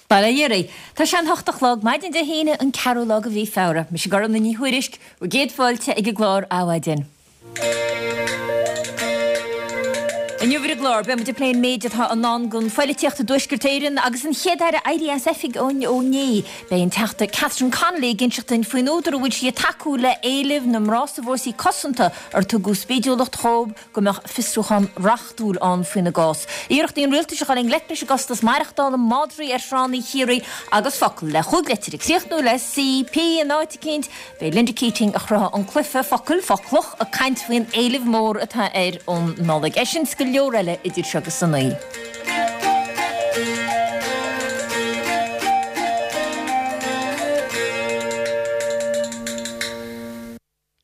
Bail ó Dhia oraibh. Tá sé an hocht a chlog, maidin Dé hAoine, an ceathrú lá de mhí Feabhra. Mise Gormfhlaith Ní Thuairisg, bhur gcéad fáilte ag an gclár Adhmhaidin. Inniu ar an gclár, beidh muid ag plé an méid atá i ndán don phoilitíocht i dTuaisceart Éireann agus an Chéad-Aire éirithe as oifig ó inné. Beidh an Teachta Catherine Connolly ag inseacht duinn faoin údar a bhfuil sí ag tacú le éilimh na mná sa bhfórsaí cosanta ar tugadh spídiúlacht dhóibh go mbeadh fiosrúchán reachtúil ann faoina gcás. Iarrachtaí an rialtais a dhul i ngleic leis an gcostas maireachtála, madraí ar thránna Chiarraí agus focal le chúig leitir ag críochnú le C, P in áit eicínt. Beidh Linda Keating, a chruthaigh an cluiche focal, Foclach, ag caint faoin éileamh mór atá air um Nollaig. É sin 's go leor eile idir seo agus a naoi.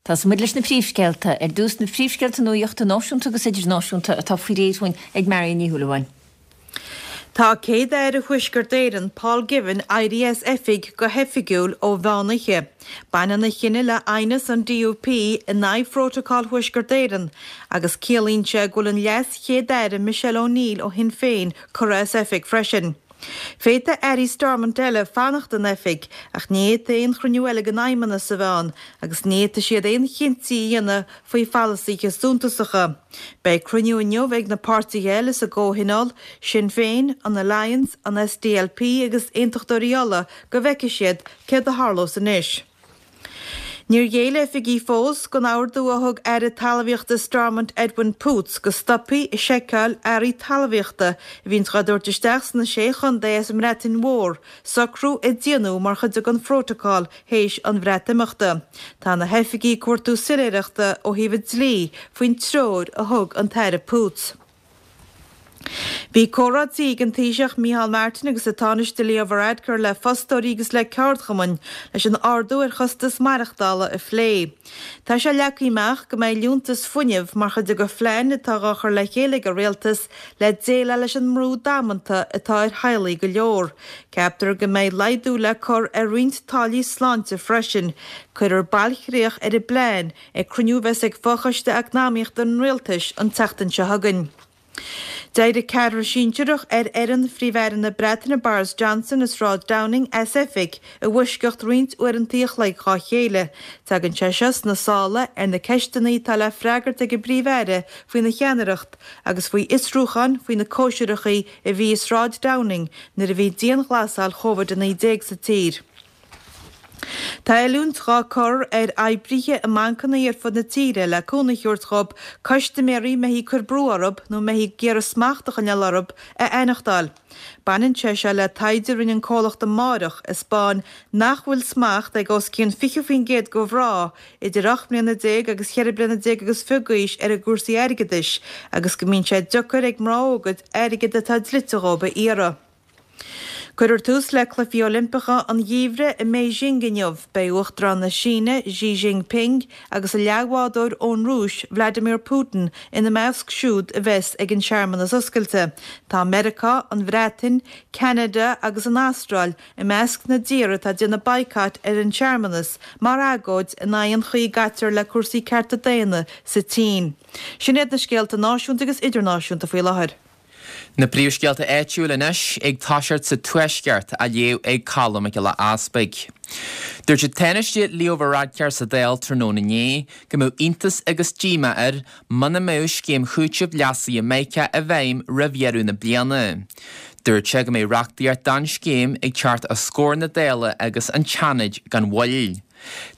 Tosóidh muid leis na príomhscéalta. Ar dtús, na príomhscéalta nuachta náisiúnta agus idirnáisiúnta atá faoi réir dhúinn ag Marion Ní Shúilleabháin. Tá Céad-Aire Thuaisceart Éireann, Paul Givan, éirithe as oifig go hoifigiúil ó mheán oíche. Baineann a chinneadh le aighneas an DUP in aghaidh Phrótacal Thuaisceart Éireann agus ciallaíonn sé go bhfuil an Leas-Chéad-Aire Michelle O'Neill ó Shinn Féin curtha as oifig freisin. Féadfaidh airí Stormont eile fanacht in oifig ach ní fhéadfaidh aon chruinniú eile den Fheidhmeannas a bheith ann agus ní fhéadfaidh siad aon chinntí a dhéanamh faoi pholasaithe suntasacha. Beidh cruinniú inniu ag na páirtithe eile sa gcomhthionól, Sinn Féin, an Alliance, an SDLP agus Aontachtóirí Uladh, go bhfeicfidh siad céard a tharlós anois. Níor ghéill oifigigh fós don ordú a thug Aire Talmhaíochta Stormont Edwin Poots go stopfaí ag seiceáil earraí talmhaíochta a bhíonns dhá dtabhairt isteach sna Sé Chontae as an mBreatain Mhór, socrú a déanadh mar chuid den phrótacál théis an Bhreatimeachta. Tá na hoifigigh ag cuartú soiléireachta ó thaobh an dlí faoin treoir a thug an tAire Poots. Bhí comhráití ag an Taoiseach Micheál Martin agus an Tánaiste Leo Varadkar le fostóirí agus le ceardchumainn leis an ardú ar chostas maireachtála a phlé. Tá sé leagtha amach go mbeidh liúntas fuinnimh mar chuid de phlean atá dhá chur le chéile ag an Rialtas le déileáil leis an mbrú damanta atá ar theaghlaigh go leor. Ceaptar go mbeidh laghdú le cur ar roinnt táillí sláinte freisin. Cuirfear bailchríoch ar an bplean ag cruinniú a bheas ag Fochoiste Eacnamaíochta an Rialtais an tseachtain seo chugainn. D'éirigh ceathrar sinsearach ar fhoireann Phríomh-Aire na Breataine Boris Johnson i Sráid Downing as oifig i bhfoisceacht roinnt uaireanta a chloig dhá chéile. Tagann sé seo sna sála ar na ceisteanna atá le freagairt ag an bPríomh-Aire faoina cheannaireacht agus faoi fhiosrúcháin faoi na cóisireacha a bhí i Sráid Downing nuair a bhí dianghlasáil Covid-19 sa tír. Tá oiliúint dhá cur ar oibrithe i mbancanna ar fud na tíre le cúnamh a thabhairt dhób custaiméirí a mbeifí ag cur brú orthu nó a mbeifí ag iarraidh smacht a choinneáil orthu a aithneachtáil. Baineann sé seo le taighde a rinne an comhlacht Amárach a 'spáin nach bhfuil smacht ag os cionn 20% de mhná idir 18 mbliana agus cheithre bliana déag agus fiche d'aois ar a gcúrsaí airgeadais agus go mbíonn sé deacair ag mná óga airgead atá dlite dhóibh a iarraidh. Cuirfear tús le Cluichí Oilimpeacha an Gheimhridh i mBeijing inniu. Beidh Uachtarán na Síne, Xi Jinping, agus a leathbhádóir ón Rúis, Vladimir Putin, ina measc siúd a bheas ag an searmanas oscailte. Tá Meiriceá, an Bhreatain, Ceanada agus an Astráil i measc na dtíortha atá ag déanamh baghcat ar an searmanas mar agóid in aghaidh an chaoi a gcaitear le cúrsaí cearta daonna sa tSín. Sin iad na scéalta náisiúnta agus idirnáisiúnta faoi láthair. Na príomhscéalta áitiúil anois, ag toiseacht sa Tuaisceart, á léamh ag Colm Mac Giolla Easpaig. Dúirt an Tánaiste Leo Varadkar sa Dáil tráthnóna inné go mbeadh iontas agus díomá air muna mbeadh scéim chúitimh leasaithe Mica i bhfeidhm roimh dheireadh na bliana. Dúirt sé go mbeidh reachtaíocht don scéim ag teacht os comhair na Dála agus an tSeanaid gan mhoill.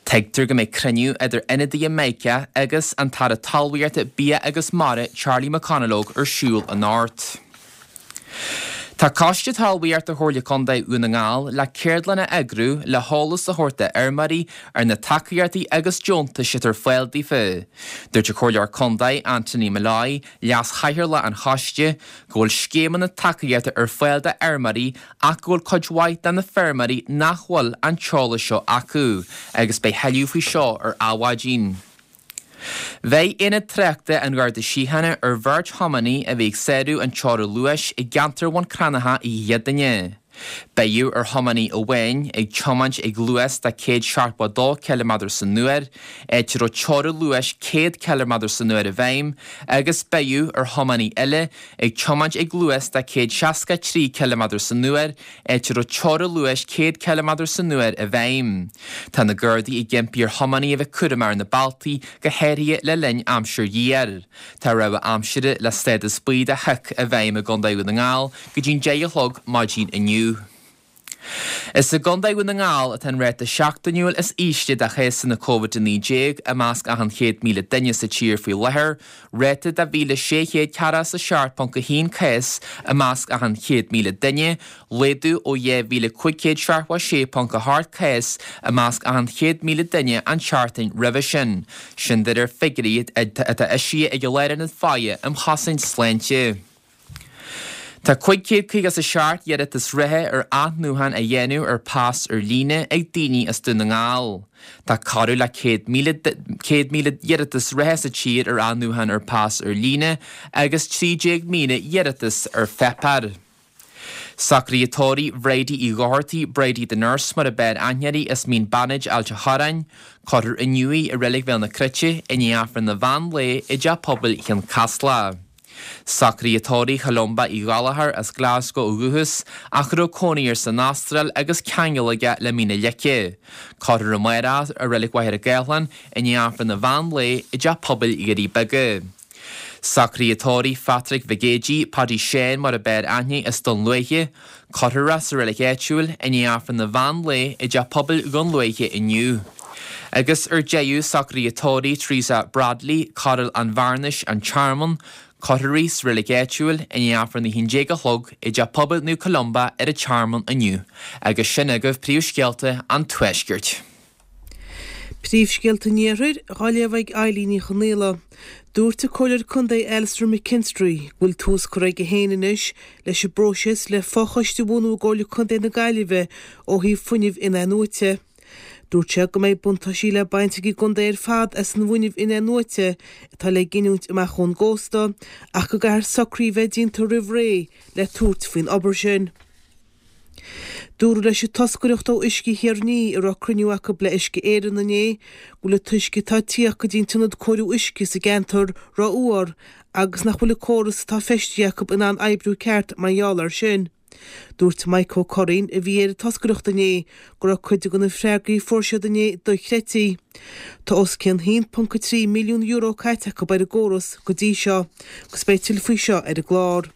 Tuigtear go mbeidh cruinniú idir ionadaithe Mica agus an tAire Talmhaíochta, Bia agus Mara Charlie McConalogue ar siúl anocht. Tá Coiste Talmhaíochta Chomhairle Contae Dhún na nGall le ceardlann a eagrú le heolas a thabhairt do fheirmeoirí ar na tacaíochtaí agus deontais atá ar fáil daofa. Dúirt an Comhairleoir Contae Anthony Molloy, Leas-Chathaoirleach an Choiste, go bhfuil scéimeanna tacaíochta ar fáil do fheirmeoirí ach go bhfuil cuid mhaith de na feirmeoirí nach bhfuil an t-eolas seo acu agus beidh thuilleadh faoi seo ar Adhmhaidin. Bheir Aonad Tráchta an Gharda Síochána ar bheirt thiománaí a bhí ag sárú an teora luais i gceantar Bhun Cranncha oíche Dhéardaoine. Beidh ar thiománaí amháin ag tiomáint ag luas de 172 ciliméadar san uair, áit a raibh teorainn luais 100 ciliméadar san uair i bhfeidhm, agus beidh ar thiománaí eile ag tiomáint ag luas de 163 ciliméadar san uair, áit a raibh teorainn luais 100 ciliméadar san uair i bhfeidhm. Tá na Gardaí ag impí ar thiománaithe a bheith cúramach ar na bealtaí, go háirithe le linn aimsir ghéar. Tá rabhadh aimsire le stádas buí de shioc i bhfeidhm i gContae Dhún na nGall go dtí'n 10 a chlog maidin inniu. Is i gContae Dhún na nGall atá an ráta seachtainiúil is ísle de chásanna Covid-19 i measc achan 100,000 duine sa tír faoi láthair, ráta de 1,647.1 cás i measc achan 100,000 duine, laghdú ó 2,576.8 cás i measc achan 100,000 duine an tseachtain roimhe sin. Sin de réir figiúirí atá eisithe ag an Lárionad Faire um Chosaint Sláinte. Tá 557 iarratas reatha ar athnuachan a dhéanamh ar phas ar líne ag daoine as Dún na nGall. Tá corradh le 100,000 iarratas reatha sa tír ar athnuachan ar phas ar líne agus 13,000 iarratas ar pháipéar. Socruithe tórraimh Bhridie Uí Dhochartaigh, Bridie the Nurse mar ab fhearr aithne uirthi as Mín Bannaid, Ailt a' Chorráin, Cuirfear inniu í i Reilig Bhéal na Cruite i ndiaidh Aifreann an mheán lae i dTeach Pobail Chionn Caslach. Socruithe tórraimh Cholumba Uí Ghallchóir as Glasgow ó dhúchas ach a raibh cónaí air san Astráil agus ceangal aige le Mín na Leice. Cuirfear amárach í i Reilig Mhachaire Gathlán i ndiaidh Aifreann an mheán lae i dTeach Pobail Dhoirí Beaga. Socruithe tórraimh Phatrick Mhic Géidigh, Paddy Sheáin mar ab fhearr aithne as Dún Lúiche, Cuirfear é sa reilig áitiúil i ndiaidh Aifreann an mheán lae i dTeach Pobail Dhún Lúiche inniu. Agus ar deireadh, socruithe tórraimh Teresa Bradley, Coral an Bhearnais, An Tearmann, Cuirfear í sa reilig áitiúil i ndiaidh Aifreann 11 a chlog i dTeach Pobail Naomh Columba ar an Tearmann inniu. Agus sin agaibh príomhscéalta an Tuaiscirt. Príomhscéalta an Iarthair á léamh ag Eilín Ní Chonaola. Dúirt an Comhairleoir Contae Alastair McKinstry go bhfuil tús curtha aige féin anois leis an bpróiseas le fochoiste a bhunú i gComhairle Contae na Gaillimhe ó thaobh fuinneamh in-athnuaite. Dúirt sé go mbeidh buntáistí le baint ag an gcontae ar fad as an bhfuinneamh in-athnuaite atá le giniúint amach ón gcósta ach go gcaithfear socruithe a bheith déanta roimh ré le tabhairt faoin obair sin. Dúradh leis an toscaireacht ó Uisce Thír an Fhia a raibh cruinniú acu le Uisce Éireann inné go bhfuil an t-uisce atá ag tíocht go dtí an t-ionad cóiriú uisce sa gceantar rófhuar agus nach bhfuil an córas atá feistithe acu in ann oibriú ceart mar gheall air sin. Dúirt Mike Ó Curraoin, a bhí ar an toscaireacht inné, go raibh cuid de na freagraí a fuair siad inné dochreidte. Tá os cionn €1.3 milliún caite acu ar an gcóras go dtí seo agus beidh tuilleadh faoi seo ar an gclár.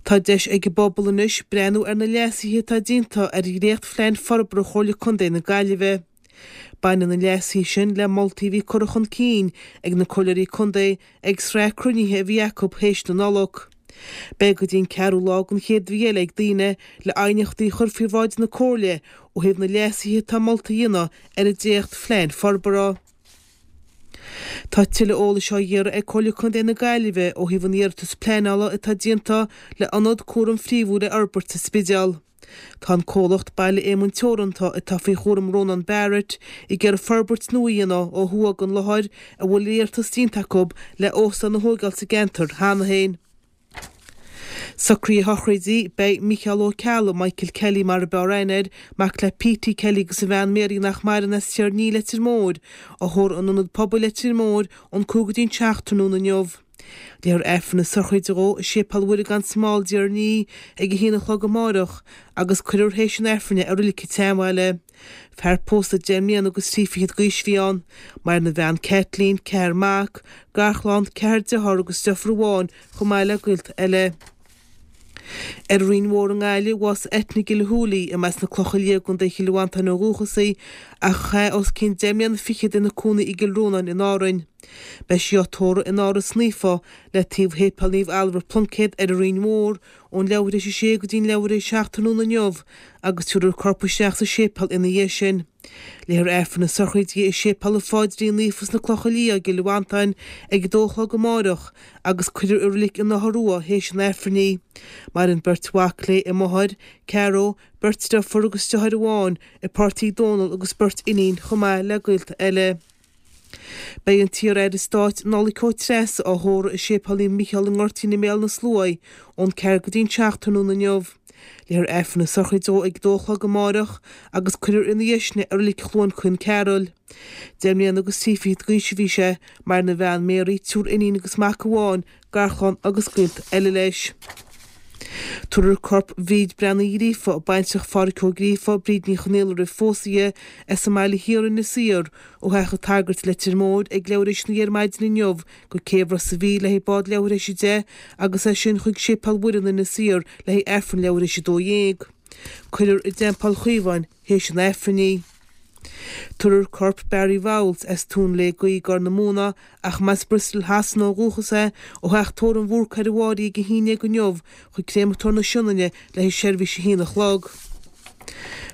Tá deis ag an bpobal anois breathnú ar na leasuithe atá déanta ar dhréacht-phlean forbartha Chomhairle Contae na Gaillimhe. Baineann na leasuithe sin le moltaí a bhí curtha chun cinn ag na Comhairleoirí Contae ag sraith cruinnithe a bhí acu théis na Nollag. Beidh go dtí an ceathrú lá den chéad mhí eile ag daoine le aighneachtaí a chur faoi bhráid na Comhairle ó thaobh na leasuithe atá molta a dhéanamh ar an dréacht-phlean forbartha. Tá tuilleadh eolais á iarraidh ag Comhairle Contae na Gaillimhe ó thaobh an iarratas pleanála atá déanta le ionad cúraim phríomhúil a fhorbairt sa Spidéal. Tá an comhlacht Baile Éamoinn Teoranta atá faoi chúram Rónán Barrett ag iarraidh forbairt nua a dhéanamh ó thuaidh den láthair a bhfuil iarratas déanta acu le óstán a thóigeáil sa gceantar cheana féin. Socruithe sochraide, Beidh Micheál Ó Ceallaigh, Michael Kelly mar ab fhearr aithne air, mac le Petey Kelly agus a bhean Mary nach maireann as Tír an Fhia, Leitir Móir, á thórramh in Ionad Pobail Leitir Móir ón 5 go dtí an 7 tráthnóna inniu. Léifear Aifreann na sochraide dhó i Séipéal Mhuire gan Smál i dTír an Fhia ag a haon a chlog amáireach agus cuirfear théis an Aifrinn é i Reilig an tSeanbhaile. Fear pósta deich mbliana agus trí fichead d'aois a bhí ann. Maireann a bhean Kathleen, ceathrar mac, garchlann, ceathrar dearthár agus deirfiúr amháin chomh maith le gaolta eile. Ar an Rinn Mhór i nGaillimh, bhásaigh Eithne Gilhooly, arb as na Clocha Liatha i gContae Chill Mhantáin ó dhúchas í, ach a chaith os cionn deich mbliana fichead ina cónaí i gCill Rónáin in Árainn. Beidh sí á tórramh in Áras Naofa le taobh Shéipéal Naomh Ailbhe Pluincéad ar an Rinn Mhór ón leathuair tar éis a sé go dtí'n leathuair tar éis a 7 tráthnóna inniu agus tabharfar a corp isteach sa séipéal ina dhiaidh sin. Léifear Aifreann na sochraide di i Séipéal an Pháidrín Naofa sna Clocha Liatha i gCill Mhantáin ag a dó a chlog amáireach agus cuirfear i Reilig an Fhotha Rua théis an Aifrinn í. Maireann beirt mhac léi, a máthair, Caro, beirt deirfiúr agus deartháir amháin, a páirtí Dónal agus beirt iníon chomh maith le gaolta eile. Beidh an t-iar-aire stáit Nollaig Ó Treasa á thórramh i Séipéal Naomh Micheál i nGoirtín i mBéal na Sluaighe ón 4 go dtí'n 7 tráthnóna inniu. Léifear Aifreann na sochraide dó ag a dó a chlog amáireach agus cuirfear ina dhiaidh sin é i Reilig Chluain Caoin Cearúil. Deich mbliana agus thrí fichid d'aois a bhí sé. Maireann a bhean Mary, triúr iníon agus mac amháin, garchlann agus gaolta eile leis. Tabharfar corp Bhríd Breathnaigh Uí Ghríofa, baintreach Phádhraic Ó Gríofa, Bríd Ní Chonaola roimh phósadh di, as an mBaile Thiar, Inis Oírr, ó theach an tsagairt, Leitir Móir, ag leathuair théis a naoi ar maidin inniu go céibh Ros a' Mhíl le haghaidh bád leathuair théis 10 agus as sin chuig Séipéal Mhuire in Inis Oírr le haghaidh Aifreann leathuair théis 12. Cuirfear i dTeampall Chaomháin théis an Aifrinn í. Tabharfar corp Barry Vowles, as Tóin Lé Gaoith, Gor na Móna, ach mb'as Bristol Shasana ó dhúchas é, ó theach tórraimh Bhúrcaigh ar an bhFáirí ag 11 inniu chuig Créamatóir na Sionainne le haghaidh seirbhís a haon a chlog.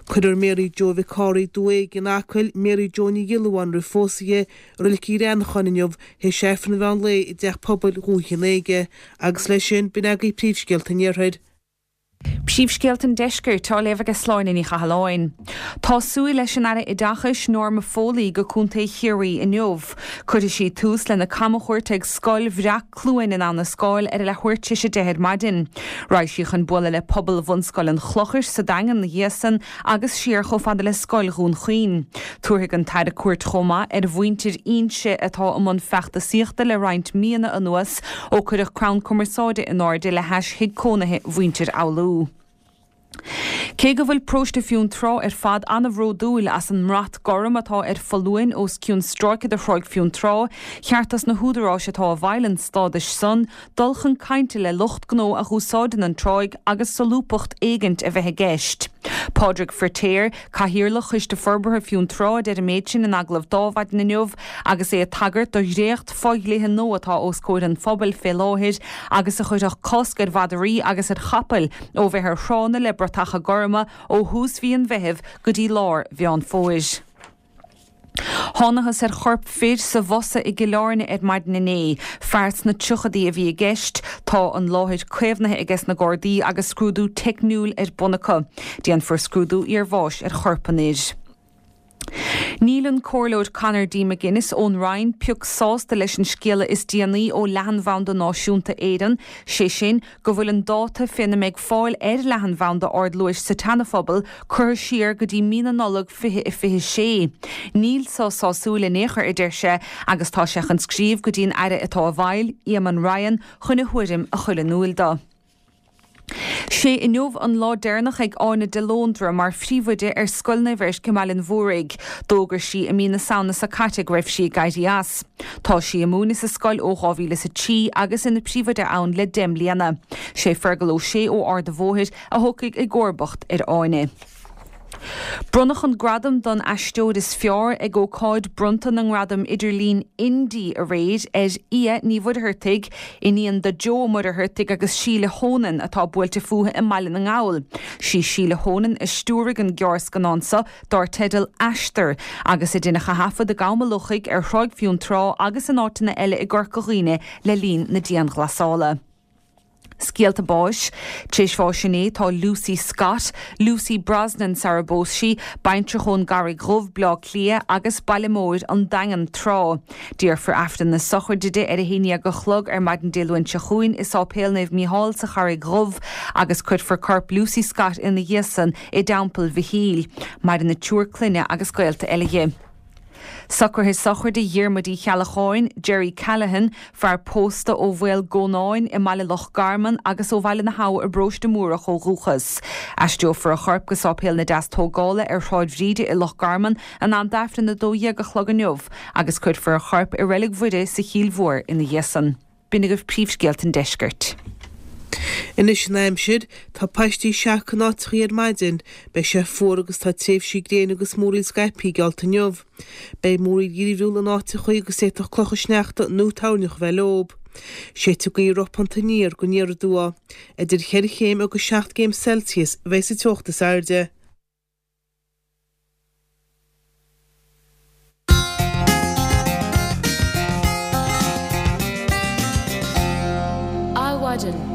Cuirfear Mary Joe Mhic Cárthaigh, Dumha Éige in Acaill, Mary Joe Ní Ghiollamháin roimh phósadh di, i Reilig Uí Bhreanacháin inniu théis Aifreann an mheán lae i dTeach Pobail Dhúiche an Éige. Agus leis sin, b'in agaibh príomhscéalta an Iarthair. Príomhscéalta an Deiscirt á léamh aige Sláine Ní Chathalláin. Tá súil leis an Aire Oideachais Norma Foley go Contae Chiarraí inniu. Cuirfidh sí tús lena camchuairt ag Scoil Bhreac-Chluain in Abha na Scáil ar a leathuair tar éis 10 ar maidin. Raghaidh sí chun bualadh le pobal Bhunscoil an Chlochair sa Daingean ina dhiaidh san agus siar chomh fada le Scoil Dhún Chaoin. Tabharfaidh an tAire cuairt chomh maith ar mhuintir Inse atá i mbun feachtasaíochta le roinnt míonna anuas ó cuireadh crann cumarsáide in airde le hais thigh cónaithe mhuintir Fhoghlú. Cé go bhfuil paróiste Fionntrá ar fad an-bhródúil as an mbrat gorm atá ar foluain os cionn stráice de Thráigh Fionntrá, cheart dos na húdaráis atá i bhfeighil an stádais san dul chun cainte le lucht gnó a dh'úsáideann an tráigh agus solúbthacht éigint a bheith i gceist. Pádraig Firtéar, Cathaoirleach Choiste Forbartha Fionntrá a deir an méid sin in agallamh d'Adhmhaidin inniu agus é ag tagairt do dhréacht fo-dhlíthe nua atá os comhair an phobail fé láthair agus a chuirfeadh cosc ar mhadraí agus ar chapaill ó bheith ar thránna le bratacha gorma ó thús mhí an Mheithimh go dtí lár Mheán Fómhair. Thánathas ar chorp fir sa bhfosa i gCill Airne ar maidin inné. Fear sna tríochadaí a bhí i gceist. Tá an láthair caomhnaithe ages na Gardaí agus scrúdú teicniúil ar bun acu. Déanfar scrúdú iarbháis ar chorp an fhir. Níl an Comhairleoir Conor D. McGuinness ón Rinn pioc sásta leis an scéala is déanaí ó Leathanbhanda Náisiúnta Éireann, sé sin, go bhfuil an dáta féna mbeidh fáil ar leathanbhanda ardluais sa tSeana-Phobal curtha siar go dtí mí na Nollag 2026. Níl so sásúil in aon chor, a deir sé, agus tá sé chun scríobh go dtí an Aire atá i bhfeighil, Eamon Ryan, chun a thuairim a chur in iúil do. Sé inniu an lá deireanach ag Áine de Lóndra mar phríomhoide ar Scoil Naomh Eirc i mBaile an Mhúraigh. D'fhógair sí i mí na Samhna seo caite go raibh sí ag éirí as. Tá sí ag múineadh sa scoil ó 2003 agus ina príomhoide ann le 10 mbliana. Sé Fergal Ó Sé ó Ard a' Bhóthair a thiocfaidh i gcomharbacht ar Áine. Bronnadh an gradam don aisteoir is fearr ag ócáid bronnta na ngradam idirlín Indie aréir ar Fhia Ní Mhuircheartaigh, iníon do Joe Ó Muircheartaigh agus Síle Honan atá buailte fúithi i mBaile na nGall. Sí Síle Honan a stiúraigh an gearrscannán seo dár teideal Aistear, agus a deineadh a thaifead i gCam a' Lochaigh, ar Thráigh Fionntrá agus in áiteanna eile i gCorca Dhuibhne le linn na dianghlasála. Scéalta báis. Tar éis bháis inné tá Lucy Scott, Lucy Brosnan sara bpós sí, baintreach ón gCarraig Dhubh, Bleá Cliath agus Baile Móir, An Daingean tráth. Déarfar Aifreann na sochraide di ar a haon dhéag a chlog ar maidin Dé Luain seo chugainn i Sáipéal Naomh Mícheál sa Charraig Dhubh agus cuirfear corp Lucy Scott ina dhiaidh san i dTeampall Mhichíl. Maireann a triúr clainne agus gaolta eile dhi. Socruithe sochraide Dhiarmuid Uí Cheallacháin, Jerry Callaghan, fear pósta ó Mhaol Gónáin i mBaile Loch Garman agus ó Bhaile na hAbha i bParóiste Múrach ó dhúchas. Aistreofar a chorp go Sáipéal na Deastógála ar Shráid Bhríde i Loch Garman in am d'Aifreann 12 a chlog inniu agus cuirfear a chorp i Reilig Mhuire sa Chill Mhór ina dhiaidh san. B'in agaibh príomhscéalta an deiscirt. Anois an aimsir, tá paistí seaca in áiteachaí ar maidin, beidh sé fuar agus tá tréimhsí gréine agus múraíl scaipthe geallta inniu. Beidh múraíl dhírbhriúil in áiteachaí agus d'fhéadfadh clocha sneachta nó toirneach a bheith leob. Séidfidh gaoth ropánta aniar go aniar aduaidh. Idir cheithre chéim agus seacht gcéim Celsius a bheidh sa teocht is airde. Adhmhaidin.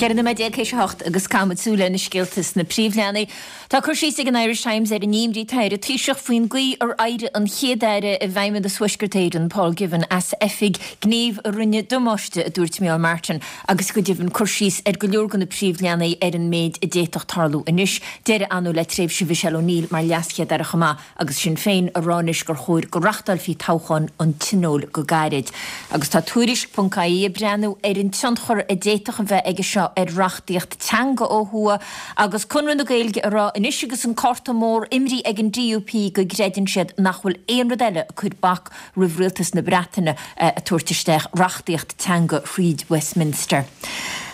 14 nóiméad théis a hocht agus caithfimid súil ar na scéalta sna príomhleathanaigh. Tá cur síos ag an Irish Times ar an imní atá ar an Taoiseach faoin gcaoi ar éirigh an Chéad-Aire i bhFeidhmeannas Thuaisceart Éireann, Paul Givan, as oifig, gníomh a rinne damáiste, a dúirt Micheál Martin, agus go deimhin cur síos ar go leor de na príomhleathanaigh ar an méid a d'fhéadfadh tarlú anois. Deireadh ann le tréimhse Mhichelle O'Neill mar LeasChéad-Aire chomh maith. agus Sinn Féin a rá anois gur chóir go reachtáilfí toghchán an Tionóil go gairid. Agus tá Tuairisc ponc ie ag breathnú ar an tionchar a d'fhéadfadh a bheith aige seo ar reachtaíocht teanga ó thuaidh, agus Conradh na Gaeilge a rá anois agus an cárta mór imrithe ag an DUP go gcreideann siad nach bhfuil aon rud eile ag cur bac roimh rialtas na Breataine ag tabhairt isteach reachtaíocht teanga thríd Westminster.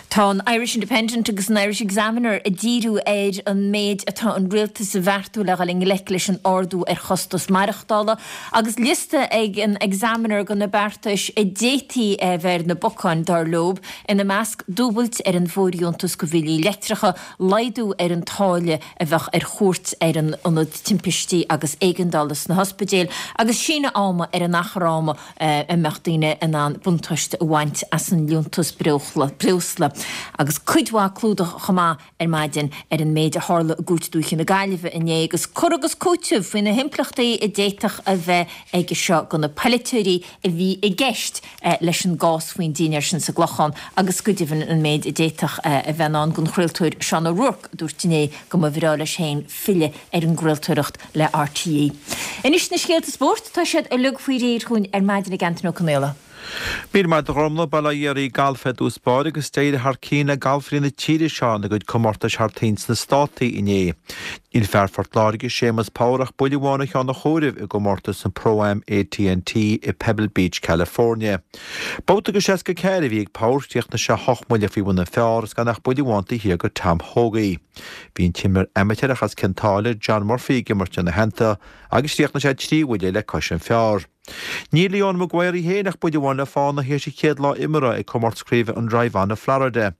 Tá an Irish Independent agus an Irish Examiner ag díriú ar an méid atá an rialtas a bheartú le dhul i ngleic leis an ardú ar chostas maireachtála agus liosta ag an Examiner de na beartais a d'fhéadfaí a bheith ar na bacáin, dar leo, ina measc dúbailt ar an bhfóirdheontas do bhillí leictreacha, laghdú ar an táille a bheadh ar chuairt ar an ionad timpistí agus éigeandála sna hospidéil agus síneadh ama ar an achar ama a mbeadh daoine in ann buntáiste a bhaint as an liúntas breosla. Agus cuid mhaith clúdach chomh maith ar maidin ar an méid a tharla i gCúirt Dúiche na Gaillimhe inné agus cur agus cúiteamh faoi na himpleachtaí a d'fhéadfadh a bheith aige seo do na polaiteoirí a bhí i gceist leis an gcás faoin dinnéar sin sa gClochán agus go deimhin an méid a d'fhéadfadh a bheith i ndán don chraoltóir Seán O'Rourke a dúirt inné go mba bhreá leis féin filleadh ar an gcraoltóireacht le RTÉ. Anois na scéalta spóirt, tá siad uilig faoi réir chugainn ar maidin ag Antain Ó Conaola. Míle maith agat a Ghormfhlaith, Bail ó Dhia ar galf ar dtús báire agus d'éirigh thar cionn le galfairí na tíre seo ina gcuid comórtais thar toinn sna Státaí inné. Níl fear Phort Láirge, Séamus Power ach buille amháin ó cheann an chomhairimh i gcomórtas an Pro-Am AT&T i Pebble Beach, California. Babhta de 64 a bhí ag Power, chríochnaigh sé hocht mbuille faoi bhun an phar agus gan ach buille amháin taobh thiar de Tom Hoge. Bhí an t-imreoir amaitéarach as Cionn tSáile, John Murphy ag imirt ina theannta agus chríochnaigh sé trí bhuille le cois an phar. Níl Leona Maguire í féin ach buille amháin le fána théis a chéad lá imeartha ag comórtas craoibhe an Drive On i Florida.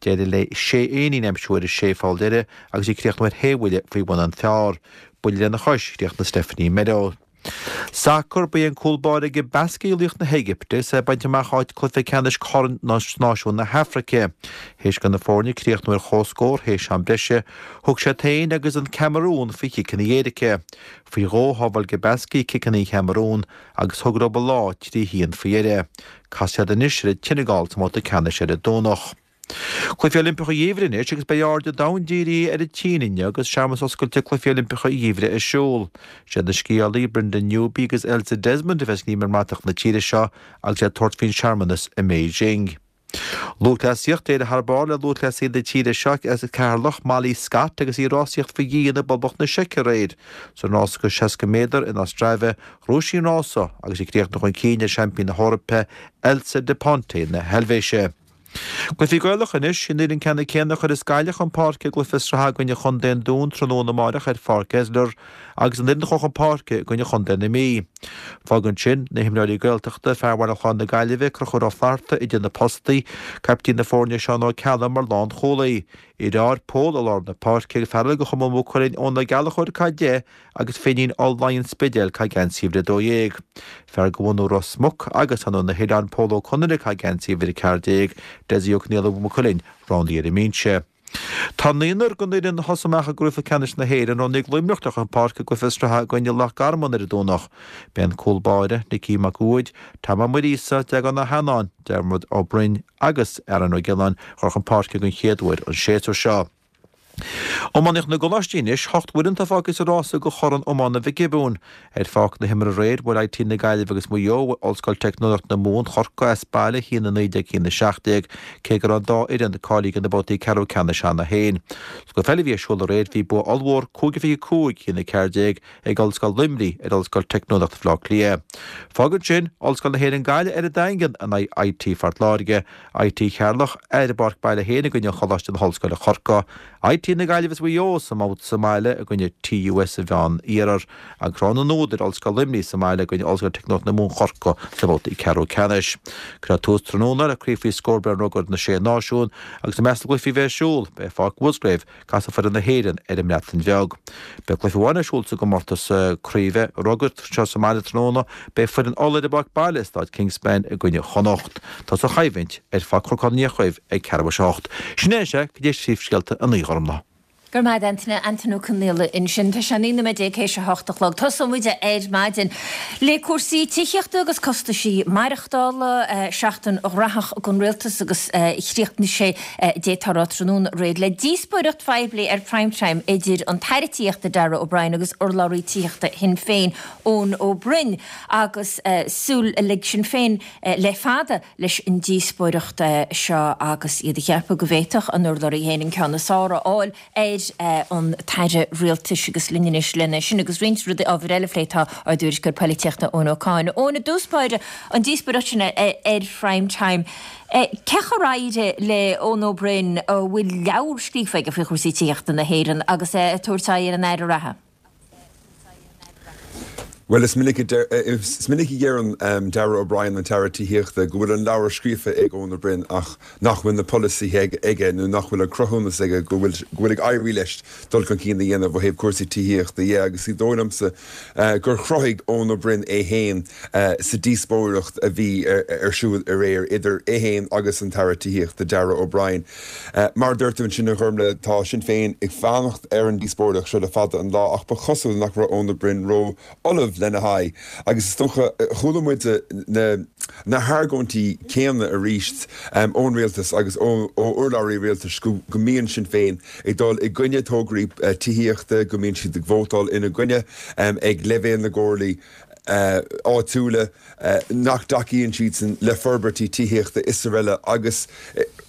D'éirigh léi sé éinín a aimsiú ar a sé pholl deiridh agus í ag críochnú ar shé bhuille faoi bhun an phar. Buille lena chois, chríochnaigh Stephanie Meadows. Sacar, Ba é an cúl báire Gabaski laoch na hÉigipte agus é ag baint amach áit cluiche ceannais Chorn Náisiún na hAfraice. Théis do na foirne críochnú ar comhscór théis am breise, thug siad féin agus an Camarún faoi chiceanna éirice. Faoi dhó shábháil Gabaski ciceanna an Chamarúin agus thug leo an lá 3-1 faoi dheireadh. Casfaidh siad anois ar an tSeineagáil sa mbabhta ceannais ar an Domhnach. Cluichí Oilimpeacha an Gheimhridh anois agus beidh aird an domhain dírithe ar an tSín inniu agus searmanas oscailte Cluichí Oilimpeacha an Gheimhridh ar siúl. Siad na sciálaí Brenda Newby agus Elsa Desmond a bheas ag nímh i mbratach na tíre seo agus iad ag tabhairt faoin searmanas i mBeijing. Lúthchleasaíocht, D'éirigh thar barr le lúthchleasaí na tíre seo as Ceatharlach, Molly Scott, agus í ag rásaíocht faoi dhíon i bPoblacht na Seice aréir. Sa rás go 60 méadar in Ostrava, ghnóthaigh sí an rása agus í ag críochnú chun cinn ar seaimpín na hEorpa, Elsa Da Ponte na hEilvéise. Cluichí Gaelacha anois, an fhoireann ceannann céanna a chuirfeas Gaillimh chun páirce i gcluiche sraithe i gcoinne Chontae an Dúin tráthnóna amáireach ar Pháirc Esler agus an fhoireann a chuaigh chun páirce i gcoinne Chontae na Mí. Fágann sin na himreoirí Gaeltachta, fear Bhaile Chláir na Gaillimhe, Conchúr Ó Flatharta idir na postaí, caiptín na foirne Seán Ó Ceallaigh mar lánchúlaí, Fhir Ard Pól i lár na páirce, fear eile de Chumann Mhaigh Cuilinn, Eoin Ó Gallchóir ag caitheamh 10 agus Finín All Laighean Spidéal ag caitheamh geansaí uimhir 12. Fear de bhunadh Ros Muc agus ó na hOileáin Pól Ó Conaire ag caitheamh geansaí uimhir 14, Dessie Ó Conghaile Mhaigh Cuilinn roghnaithe ar an mbinse. Tá naonúr den fhoireann a thosaigh amach i gcraobh ceannais na hÉireann roghnaithe ag Luimneach le chun páirce i gcluiche sraithe i gcoinne Loch Garman ar an Domhnach. Beidh an cúl báire, Nicky Mac Uaid, Tom Ó Muiríosa, Deaglán Ó hEanáin, Diarmuid Ó Broin agus Aaron Ó Giolláin ag dul chun páirce den chéad uair an séasúr seo. Iománaíocht na gColáistí anois, hocht bhfoireann atá fágtha sa rása do Chorn Iomána Mhic Giobúin. Ar pháirc na himeartha aréir, bhuail IT na Gaillimhe agus Maigh Eo Ollscoil Teicneolaíocht na Mumhan, Corcaigh, as baile, 1-19, 1-17, cé go raibh an dá fhoireann cáilithe do na babhtaí ceathrú ceannais cheana féin. Sa gcluiche eile a bhí ar siúl aréir, bhí bua ollmhór, 5-25, 1-14, ag Ollscoil Luimnigh ar Ollscoil Teicneolaíocht Bhaile Átha Cliath. Fágann sin Ollscoil na hÉireann Gaillimh ar an Daingean in aghaidh IT Phort Láirge, IT Cheatharlach ar an bpáirc baile féin i gcoinne Choláiste na hOllscoile Corcaigh, IT na Gaillimhe. agus Mhaigh Eo sa mbabhta sa mbaile i gcoinne TUS an Mheán Iarthair agus Ráth na nUadar, Ollscoil Luimnigh sa mbaile i gcoinne Ollscoil Teicneolaíocht na Mumhan Chorcaigh sa mbabhta ceathrú ceannais. Cuirfear tús tráthnóna le Craobh faoi scór Brendan Rugair na Sé Náisiún agus i measc na gcluichí a bheidh ar siúl, beidh Páirc Mhusgrave, Casfaidh foireann na hÉireann ar an mBreatain Bheag. Beidh cluiche amháin ar siúl sa gcomórtas craoibhe rugair anseo sa mbaile tráthnóna. Beidh foireann Uladh ar a bpáirc baile i Staid Kingspan i gcoinne Chonnacht. Tosóidh an choimhlint ar Pháirc Chnoc an Fhiachraoibh ag ceathrú tar éis a 8. Sin é sea, cuid de phríomhscéalta an lae, a Ghormfhlaith. Go raibh maith agat Antaine, Antaine Ó Conghaile ansin. Tá sé 19 nóiméad théis a hocht a chlog. Tosóidh muid ar maidin le cúrsaí tithíochta agus costaisí maireachtála. Seachtain ghnóthach don Rialtas agus chríochnaigh sé d'fhéadfá a rá tráthnóna aréir le díospóireacht phoiblí ar Prime Time idir an tAire Tithíochta Darragh O'Brien agus urlabhraí tithíochta Shinn Féin Eoin Ó Broin agus súil ag Sinn Féin le fada leis an díospóireacht seo agus iad ag ceapadh go bhféadfadh an urlabhraí féin an ceann is fearr a fháil ar an tAire Rialtais agus linn anois lena sin agus roinnt rudaí ábhair eile a phlé tá ár dtuairisceoir polaitíochta Eoin Ó Cadhain. Eoin, i dtús báire, an díospóireacht sin ar Prime Time, cé chomh ar éirigh le Eoin Ó Broin a bhfuil leabhar scríofa aige faoi chúrsaí tithíochta na hÉireann agus é ag tabhairt aghaidh ar an Aire reatha? Bhuel, is minic a is minic a deireann Darragh O'Brien, an tAire Tithíochta, go bhfuil an leabhar scríofa ag Eoin Ó Broin ach nach bhfuil na polasaithe aige nó nach bhfuil an cruthúnas aige go bhfuil go bhfuil ag éirí leis dul chun cinn a dhéanamh ó thaobh cúrsaí tithíochta dhe agus is dóigh liomsa gur chruthaigh Eoin Ó Broin é féin sa díospóireacht a bhí ar siúl aréir idir é féin agus an tAire Tithíochta Darragh O'Brien. Mar a dúirt tú ansin, a Ghormfhlaith, tá Sinn Féin ag fanacht ar an díospóireacht seo le fada an lá ach ba chosúil nach raibh Eoin Ó Broin ró-ullamh lena haghaidh agus is dócha, chuala muid na na hargóintí céanna arís ón rialtas agus ó urlabhraí rialtais go mbíonn Sinn Féin ag dul i gcoinne tograí tithíochta, go mbíonn siad ag vótáil ina gcoinne ag leibhéal na gcomhairlí áitiúla. nach dtacaíonn siadsan le forbairtí tithíochta is araile agus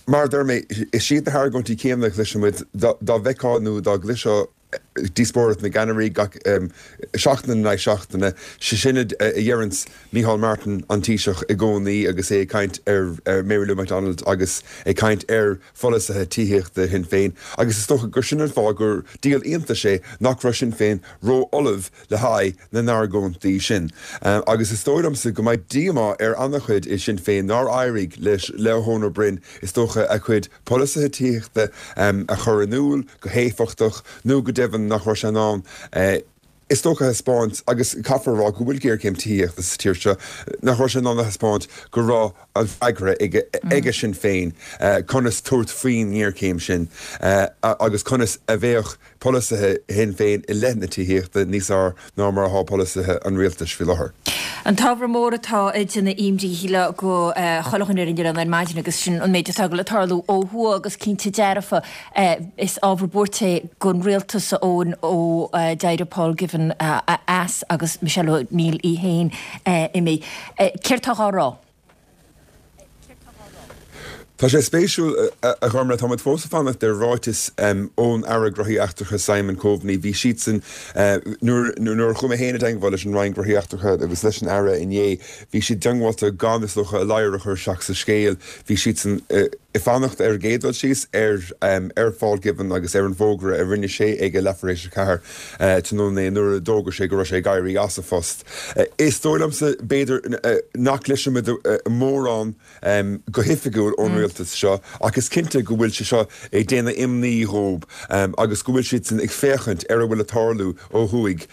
mar a deir mé, is iad na hargóintí céanna a chloiseann muid dá bhfeicfeá nó dá gcloisfeá díospóireacht na gceannairí gach seachtain in aghaidh seachtaine, sé sin a dheireanns Micheál Martin, an Taoiseach, i gcónaí agus é ag caint ar Mary Lou McDonald agus ag caint ar pholasaithe tithíochta Shinn Féin agus is dócha gur sin an fáth gur díol iontais é nach raibh Sinn Féin ró-ullamh le haghaidh na n-argóintí sin. Agus is dóigh liomsa go mbeidh díomá ar an-chuid i Sinn Féin nár éirigh leis, le Eoin Ó Broin, is dócha, a chuid polasaithe tithíochta a chur in iúl go héifeachtach nó go deimhin nach raibh sé in ann, is dócha, a thaispeáint, agus caithfear a rá go bhfuil géarchéim tithíochta sa tír seo, nach raibh sé in ann a thaispeáint go raibh an freagra aige Sinn Féin conas tabhairt faoin ngéarchéim sin agus conas a bheadh polasaithe Shinn Féin i leith na tithíochta níos fhearr ná mar atá polasaithe an rialtais faoi láthair. An t-ábhar mór atá ag déanamh imní shílfeá do chuile dhuine ar an oileán ar maidin agus sin an méid atá ag dul ag tarlú ó thuaidh agus cinnte dearfa is ábhar buairte é don rialtas a Eoin ó d'éirigh Paul Givan as agus Michelle O'Neill í féin imithe. Céard tá á rá? Tá sé spéisiúil, a Ghormfhlaith, tá muid fós ag fanacht ar ráiteas ón Aire Gnóthaí Eachtracha Simon Coveney. Bhí siadsan, nuair a chuaigh mé féin i dteangmháil leis an Roinn Gnóthaí Eachtracha agus leis an Aire inné, bhí siad diongbháilte gan, is dócha, a ladhar a chur isteach sa scéal. Bhí siadsan ag fanacht ar an gcéad dul síos ar ar Phaul Givan agus ar an bhfógra a rinne sé ag a leathuair théis a ceathair tráthnóna inné nuair a d'fhógair sé go raibh sé ag éirí as a phost. Is dóigh liomsa, b'fhéidir, nach gcloisfimid mórán go hoifigiúil ón rialtas seo ach is cinnte go bhfuil sé seo ag déanamh imní dhóibh agus go bhfuil siadsan ag féachaint ar a bhfuil ag tarlú ó thuaidh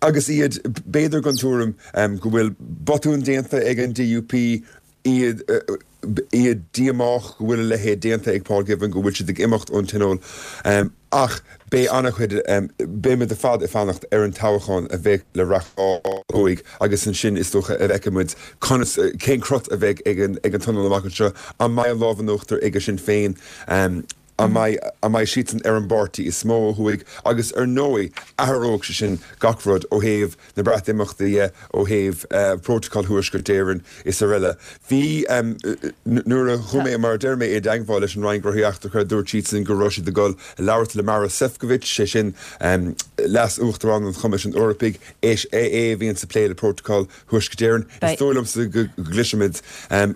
agus iad, b'fhéidir, den tuairim go bhfuil botún déanta ag an DUP, iad iad díomách go bhfuil a leithéid déanta ag Paul Givan, go bhfuil siad ag imeacht ón Tionól. Ach beidh an-chuid, beimid ar fad ag fanacht ar an toghchán a bheidh le reáchtáil ó thuaidh agus ansin is dócha a bhfeicfidh muid conas, cén crot a bheidh ag an ag an Tionól amach anseo. An mbeidh an lámh in uachtar ag Sinn Féin? An mbeidh, an mbeidh siadsan ar an bpáirtí is mó ó thuaidh? Agus ar ndóigh, athróidh sé sin gach rud ó thaobh na Breatimeachta dhe, ó thaobh Prótacal Thuaisceart Éireann is araile. Bhí, nuair a chuaigh mé, mar a deir mé, i dteagmháil leis an Roinn Gnóthaí Eachtracha, dúirt siadsan go raibh siad ag dul a labhairt le Maros Sefcovic, sé sin Leas-Uachtarán an Choimisiúin Eorpaigh, is é a bhíonns ag plé le Prótacal Thuaisceart Éireann. Is dóigh liomsa go gcloisfimid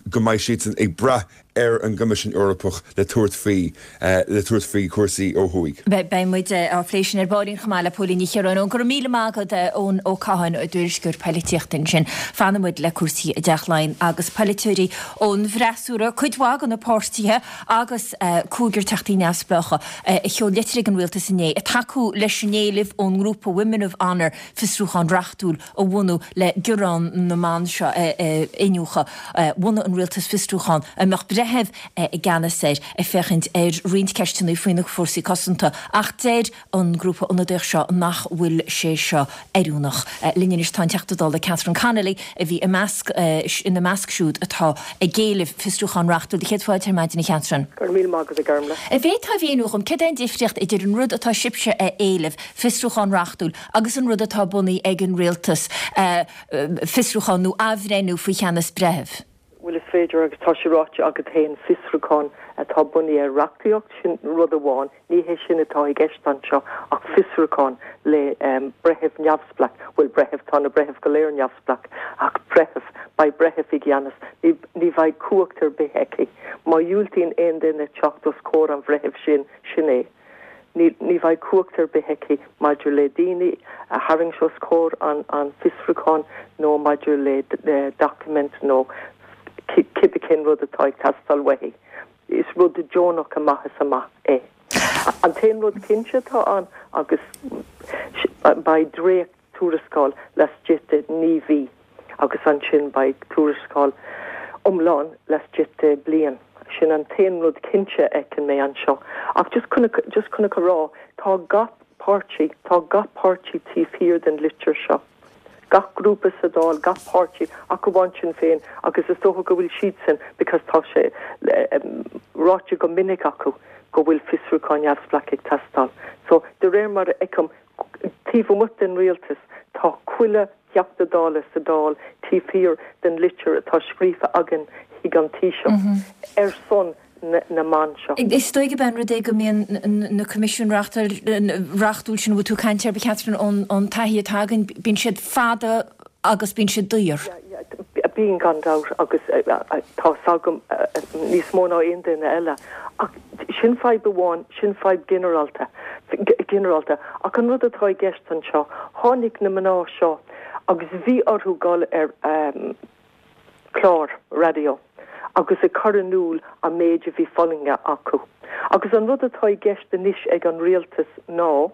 go mbeidh siadsan ag brath. ar an gCoimisiún Eorpach le tabhairt faoi le tabhairt faoi chúrsaí ó thuaidh. Beidh muid á phlé sin ar baillín chomh maith le Póilín Ní Chiaráin. Go raibh míle maith agat, Eoin Ó Catháin, ár dtuairisceoir poilitíochta ansin. Fanfaidh muid le cúrsaí i dTeach Laighean agus polaiteoirí ón bhfreasúra, cuid mhaith de na páirtithe agus cúigear teachtaí neamhspleácha a sheol litir ag an rialtas inné ag tacú leis an éileamh ón ngrúpa Women of Honour fiosrúchán reachtúil a bhunú le gearán na mban seo a iniúchadh. Bhunaigh an rialtas fiosrúchán a mbeadh breitheamh i gceannas air ag féachaint ar roinnt ceisteanna faoi na fórsaí cosanta ach deir an grúpa ionadaíoch seo nach bhfuil sé seo oiriúnach. Linn anois tá an Teachta Dála Catherine Connolly a bhí i measc ina measc siúd atá ag éileamh fiosrúchán reachtúil. Do chéad fáilte ar maidin a Chatherine. Go raibh míle maith agat a Ghormlaith. An bhféadfá a mhíniú dhom céard é an difríocht idir an rud atá sibhse a éileamh, fiosrúchán reachtúil, agus an rud atá bunaithe ag an rialtas, fiosrúchán nó athbhreithniú faoi cheannas breithimh? Bhuel, is féidir, agus tá sé ráite agat féin, fiosrúchán atá bunaithe ar reachtaíocht, sin rud amháin. Ní hé sin atá i gceist anseo ach fiosrúchán le breitheamh neamhspleách, bhuel, breitheamh, tá na breithimh go léir neamhspleách, ach breitheamh, beidh breitheamh i gceannas, ní, ní bheidh cumhacht ar bith aici. Má dhiúltaíonn aon duine teacht os comhair an bhreithimh sin, sin é. Ní bheidh cumhacht ar bith aici maidir le daoine a tharraingt os comhair an fiosrúcháin nó maidir le doiciméid nó cibé cén rud atá ag teastáil uaithi. Is rud deonach amach is amach é. An t-aon rud cinnte atá ann agus beidh dréacht tuarascáil laistigh de 9 mhí agus ansin beidh tuarascáil iomlán laistigh de bliain. Sin an t-aon rud cinnte a fheiceann mé anseo. Ach just chun just chun a rá, tá gach páirtí, tá gach páirtí taobh thiar den litir seo. Gach grúpa sa Dáil, gach páirtí, ach amháin Sinn Féin agus is dócha go bhfuil siadsan because tá sé ráite go minic acu go bhfuil fiosrúchán neamhspleách ag teastáil. So, de réir mar a fheicim, Taobh amuigh den rialtas, tá chuile Theachta Dála sa Dáil taobh thiar den litir atá scríofa againn chuig an Taoiseach ar son na mban seo. Is dóigh gurb é an rud é go mbíonn na coimisiúin reachtúil sin a bhfuil tú ag caint air, a Chatherine, ón taithí atá againn, bíonn siad fada agus bíonn siad daor. Bíonn, gan dabht, agus tá 's agam níos mó ná aon duine eile. Ach sin fadhb amháin, sin fadhb ginearálta, ginearálta. Ach an rud atá i gceist anseo, tháinig na mná seo agus bhí orthu dul ar chlár raidió agus ag cur in iúl an méid a bhí fulaingthe acu. Agus an rud atá i gceist anois ag an rialtas ná,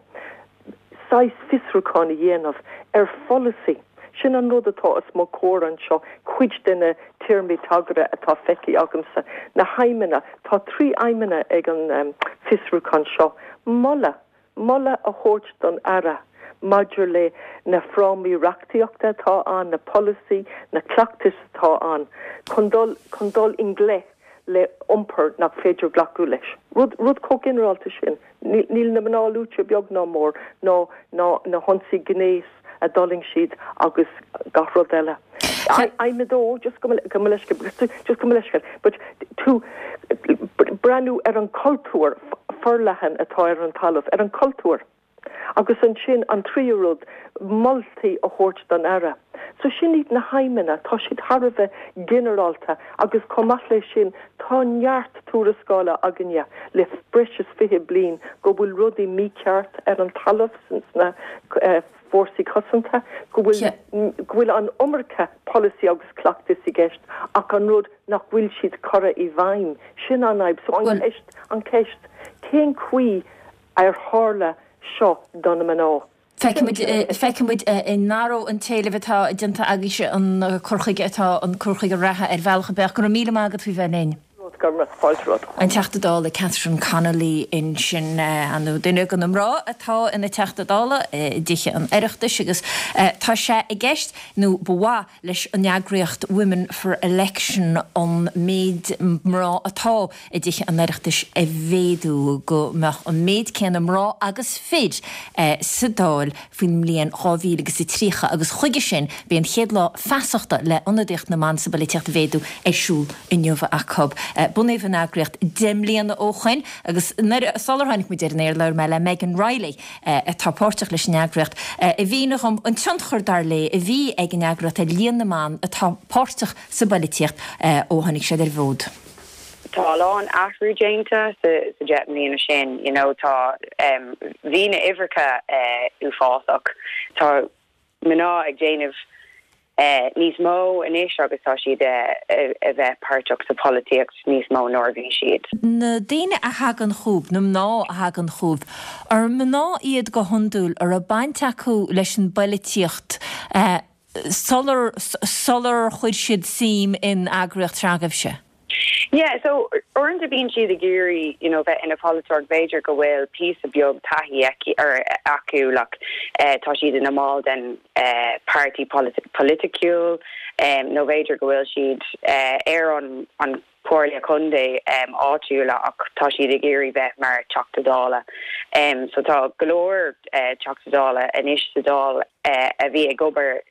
saghas fiosrúchán a dhéanamh ar pholasaí. Sin an rud atá os mo chomhair anseo, cuid de na téarmaí tagartha atá feicthe agamsa, na haidhmeanna, tá 3 aidhmeanna ag an fiosrúchán seo, moladh, moladh a thabhairt don Aire maidir le na frámaí reachtaíochta atá ann, na polasaí, na cleachtais atá ann chun dul, chun dul i ngleic le iompar nach féidir glacadh leis. Rud, rud chomh ginearálta sin. Níl na mná luaite beag ná mór, ná ná na hionsaí gnéis a d'fhulaing siad agus gach rud eile. Aidhm a dó, just gabh mo leithscéal, just gabh mo leithscéal, but to breathnú ar an cultúr forleathan atá ar an talamh, ar an cultúr. Agus ansin an tríú rud, moltaí a thabhairt don Aire. So sin iad na haidhmeanna, tá siad thar a bheith ginearálta agus chomh maith leis sin tá neart tuarascála againne le breis is 20 bliain go bhfuil rudaí mícheart ar an talamh sna fórsaí cosanta, go bhfuil go bhfuil an iomarca polasaí agus cleachtais i gceist ach an rud nach bhfuil siad curtha i bhfeidhm, sin an fhadhb. So an cheist, an cheist, cén chaoi ar tharla seo do na mná. Feicfidh muid an n-athróidh an t-éileamh atá déanta agaibhse an cur chuige atá, an cur chuige reatha ar bhealach ar bith. Go raibh míle maith agat faoi bheith linn. Go raibh fáilte romhat. An Teachta Dála Catherine Connolly ansin, ar ndóigh duine de na mná atá ina Teachta Dála i dTithe an Oireachtais agus tá sé i gceist, nó ba mhaith, leis an eagraíocht Women for Election an méid mná atá i dTithe an Oireachtais a mhéadú, go mbeadh an méid céanna mná agus fir sa Dáil faoin mbliain 2000 agus a 30 agus chuige sin beidh an chéad lá feasachta le ionadaíocht na mban sa bpolaitíocht a mhéadú ar siúl inniu acu. Bunaíodh an eagraíocht 10 mbliana ó shoin agus nuair sular tháinig muid ar an aer labhair mé le Megan Reilly, atá páirteach leis an eagraíocht, a mhínigh dhom an tionchar, dar léi, a bhí ag an eagraíocht ar líon na mban atá páirteach sa bpoilitíocht ó tháinig siad ar an bhfód. Tá a lán athrú déanta sa 10 mbliana sin, you know, tá, bhí na uimhreacha uafásach. Tá mná ag déanamh níos mó anois agus tá siad a bheith páirteach sa pholaitíocht níos mó ná a bhí siad. Na daoine a thagann chugaibh, na mná a thagann chugaibh, ar mná iad go hiondúil a raibh baint acu leis an bpoilitíocht sular sular chuir siad suim in eagraíocht s'agaibhse? Yeah, so uaireanta bíonn siad ag iarraidh, you know, bheith ina pholaiteoir, b'fhéidir go bhfuil píosa beag taithí aici or acu, like, tá siad ina mball den páirtí polaitiúil, nó b'fhéidir go bhfuil siad ar an an Comhairle Contae áitiúla ach tá siad ag iarraidh bheith mar Teachta Dála. So tá go leor Teachta Dála anois sa Dáil a bhí ag obair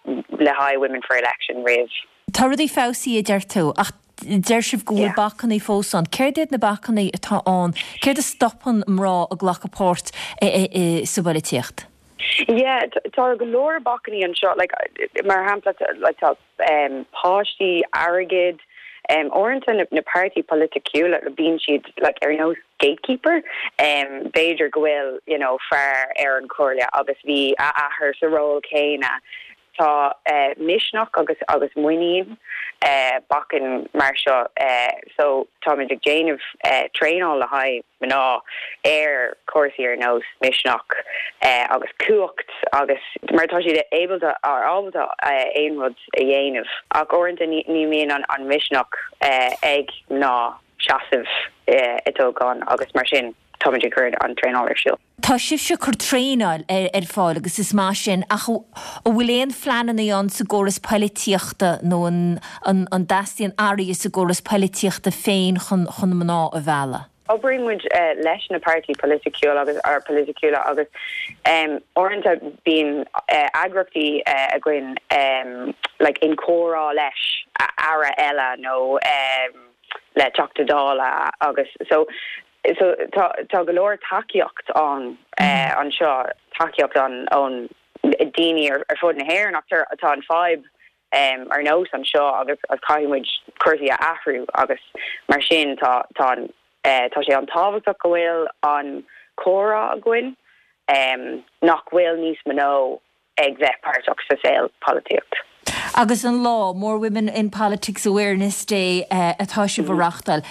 le haghaidh Women for Election roimh. Tá rudaí feabhsaithe a deir tú, ach deir sibh go bhfuil bacannaí fós ann. Céard iad na bacannaí atá ann? Céard a stopann mná ag glacadh páirt sa bpoilitíocht? Yeah, tá go leor bacannaí anseo, like, mar shampla, like, tá páistí, airgead, uaireanta na páirtí polaiticiúla, bíonn siad like ar nós gatekeeper, b'fhéidir go bhfuil, you know, fear ar an chomhairle agus bhí a athair sa ról céanna. Tá misneach agus agus muinín bacainn mar seo so táimid ag déanamh traenáil le haghaidh mná ar chúrsaí ar nós misneach agus cumhacht agus mar tá siad ábalta ábalta aon rud a dhéanamh ach uaireanta ní bhíonn an misneach ag mná seasamh i dtoghchán agus mar sin táimid ag cur an traenáil ar siúl. Tá sibhse ag cur traenáil ar fáil agus is maith sin, ach an bhfuil aon phleananna ann sa gcóras poilitíochta nó an an dteastaíonn athruithe sa gcóras poilitíochta féin chun chun mná a mhealladh? Oibríonn muid leis na páirtí polaiticiúil agus polaiticiúla agus uaireanta bíonn eagraíochtaí againn like in comhrá leis aire eile nó le Teachta Dála agus so So tá tá go leor tacaíocht ann anseo, tacaíocht ann ón daoine ar ar fud na hÉireann ach tá tá an fadhb ar nós anseo agus agus caithfidh muid cúrsaí a athrú agus mar sin tá tá an tá sé an-tábhachtach go bhfuil an comhrá againn nach bhfuil níos mó ag bheith páirteach sa saol polaitíocht. Agus an lá, More Women in Politics Awareness Day atá sibh a reachtáil,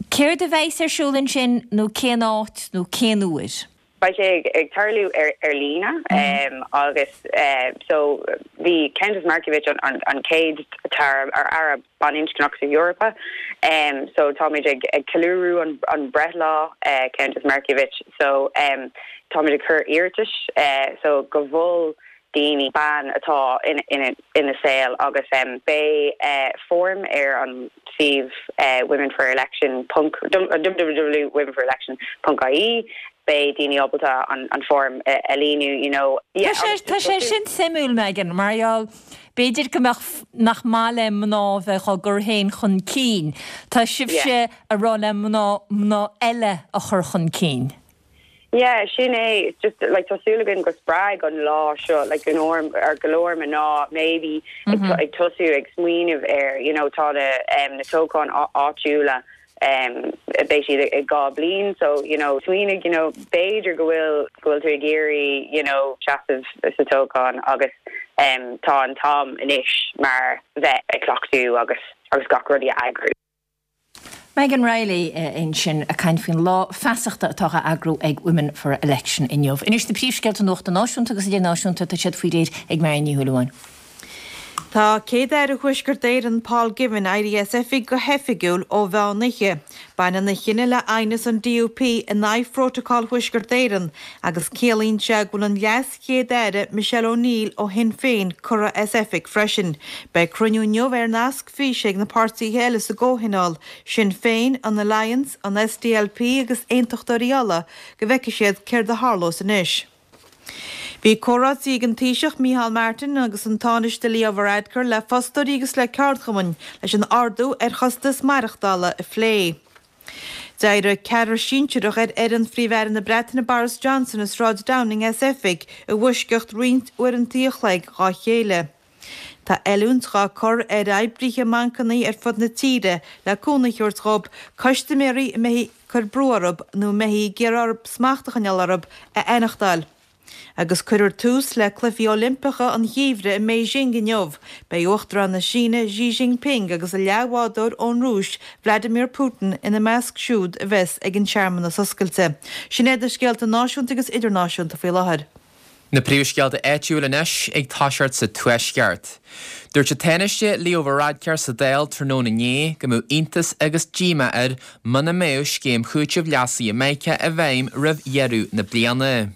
céard a bheas ar siúl ansin nó cén áit nó cén uair? Beidh sé ag tarlú ar líne agus so bhí Countess Markievicz an chéad aire baininscneach sa Eorpa so táimid ag ceiliúradh an breithlá Countess Markievicz so táimid ag cur iarratais so go bhfuil daoine bean atá ina saol agus beidh foirm ar an suíomh womenforelection ponc www.womenforelection ponc ie beidh daoine ábalta an foirm a líonadh you know. Tá sé sin suimiúil Megan mar gheall B'fhéidir go mbeadh, nach maith le mná bheith á gcur féin chun cinn. Tá sibhse a rá le mná, mná eile a chur chun cinn. Yeah, sin é. It's just, like, tá súil againn go spreag an lá seo, like, go leor, ar go leor mná maybe ag tosú ag smaoineamh ar, you know, tá na, na toghcháin áitiúla beidh siad i 2 bliain so you know smaoinigh you know b'fhéidir go bhfuil go bhfuil tú ag iarraidh you know seasamh sa toghchán agus tá an t-am anois mar bheith ag cleachtadh agus agus gach rudaí a eagrú. Megan Reilly ansin ag caint faoin lá feasachta atá á eagrú ag Women for Election inniu. Anois na príomhscéalta nuachta náisiúnta agus idirnáisiúnta, tá siad faoi réir ag Marion Ní Shúilleabháin. Tá Céad-Aire Thuaisceart Éireann, Paul Givan, éirithe as oifig go hoifigiúil ó mheán oíche. Baineann a chinneadh le aighneas an DUP in aghaidh Phrótacal Thuaisceart Éireann agus ciallaíonn sé go bhfuil an LeasChéad-Aire Michelle O'Neill ó Shinn Féin curtha as oifig freisin. Beidh cruinniú inniu ar nasc físe ag na páirtithe eile sa gcomhthionól, Sinn Féin, an Alliance, an SDLP agus Aontachtóirí Uladh, go bhfeicfidh siad céard a tharlós anois. Bhí comhráití ag an Taoiseach Micheál Martin agus an Tánaiste Leo Varadkar le fostóirí agus le ceardchumainn leis an ardú ar chostas maireachtála a phlé. D'éirigh ceathrar sinsearach ar fhoireann Phríomh-Aire na Breataine Boris Johnson i Sráid Downing as oifig i bhfoisceacht roinnt uaireanta a chloig dá chéile. Tá oiliúint dhá cur ar oibrithe i mbancannaí ar fud na tíre le cúnamh a thabhairt dhób custaiméirí a mbeifí ag cur brú orthu nó a mbeifí ag iarraidh orthu smacht a choinneáil orthu a aithneachtáil. Agus cuirfear tús le Cluichí Oilimpeacha an Gheimhridh i mBeijing inniu. Beidh Uachtarán na Síne Xi Jinping agus a leathbhádóir ón Rúis, Vladimir Putin, ina measc siúd a bheas ag an searmanas oscailte. Sin iad na scéalta náisiúnta agus idirnáisiúnta faoi láthair. Na príomhscéalta áitiúil anois ag toiseacht sa Tuaisceart. Dúirt an Tánaiste Leo Varadkar sa Dáil tráthnóna inné go mbeadh iontas agus díomá air muna mbeadh scéim chúitimh leasaithe Micah i bhfeidhm roimh dheireadh na bliana.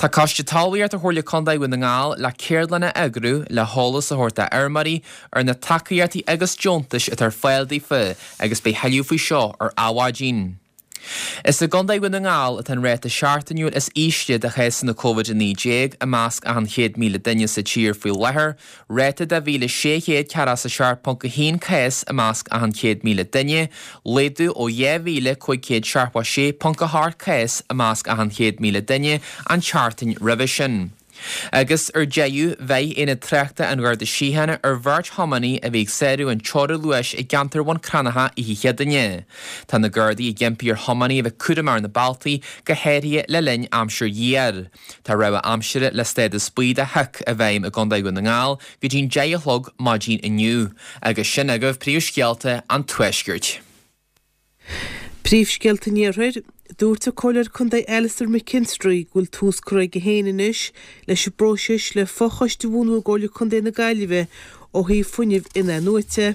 Tá Coiste Talmhaíochta Chomhairle Contae Dhún na nGall le ceardlann a eagrú le heolas a thabhairt do fheirmeoirí ar na tacaíochtaí agus deontais atá ar fáil daofa agus beidh thuilleadh faoi seo ar Adhmhaidin. Is i gContae Dhún na nGall atá an ráta seachtainiúil is ísle de chásanna Covid-19 i measc achan 100,000 duine sa tír faoi láthair, ráta de 1,647.1 cás i measc achan 100,000 duine, laghdú ó 2,576.8 cás i measc achan 100,000 duine an tseachtain roimhe sin. Agus ar deireadh, bheir Aonad Tráchta an Gharda Síochána ar bheirt thiománaí a bhí ag sárú an teora luais i gceantar Bhun Cranncha oíche Chéadaoine. Tá na Gardaí ag impí ar thiománaí a bheith cúramach ar na bealtaí, go háirithe le linn aimsir ghéar. Tá rabhadh aimsire le stádas buí de shoic i bhfeidhm i gContae Dhún na nGall go dtí'n 10 a chlog maidin inniu. Agus sin agaibh príomhscéalta an Tuaiscirt. Príomhscéalta an Iarthair, Dúirt an Comhairleoir Contae Alastair McKinstry go bhfuil tús curtha aige féin anois leis an bpróiseas le fochoiste a bhunú i gComhairle Contae na Gaillimhe ó thaobh fuinnimh in-athnuaite.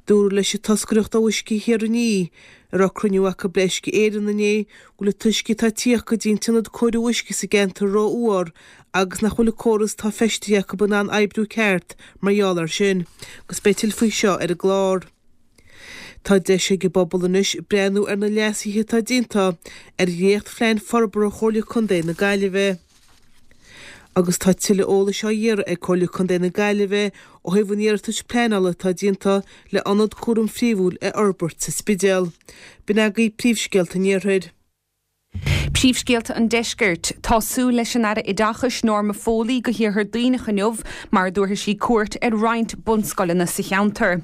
Dúradh leis an toscaireacht ó Uisce Thiar An Fhí, a raibh cruinniú acu le Uisce Éireann inné, go bhfuil an t-uisce atá ag tíocht go dtí an t-ionad cóiriú uisce sa gceantar ró-fhuar agus nach bhfuil an córas atá feistithe acu in ann oibriú ceart mar gheall air sin. Agus beidh tuilleadh faoi seo ar an gclár. Tá deis ag an bpobal anois breathnú ar na leasuithe atá déanta ar dhréacht-phlean forbartha Chomhairle Contae na Gaillimhe. Agus tá tuilleadh eolais á iarraidh ag Comhairle Contae na Gaillimhe ó thaobh an iarratais pleanála atá déanta le ionad cúraim phríomhúil a fhorbairt sa Spidéal. B'in agaibh príomhscéalta an Iarthair. Príomhscéalta an Deiscirt. Tá súil leis an Aire Oideachais Norma Foley go hIarthar Duibhneach inniu mar a dtabharfaidh sí cuairt ar roinnt bunscoileanna sa cheantar.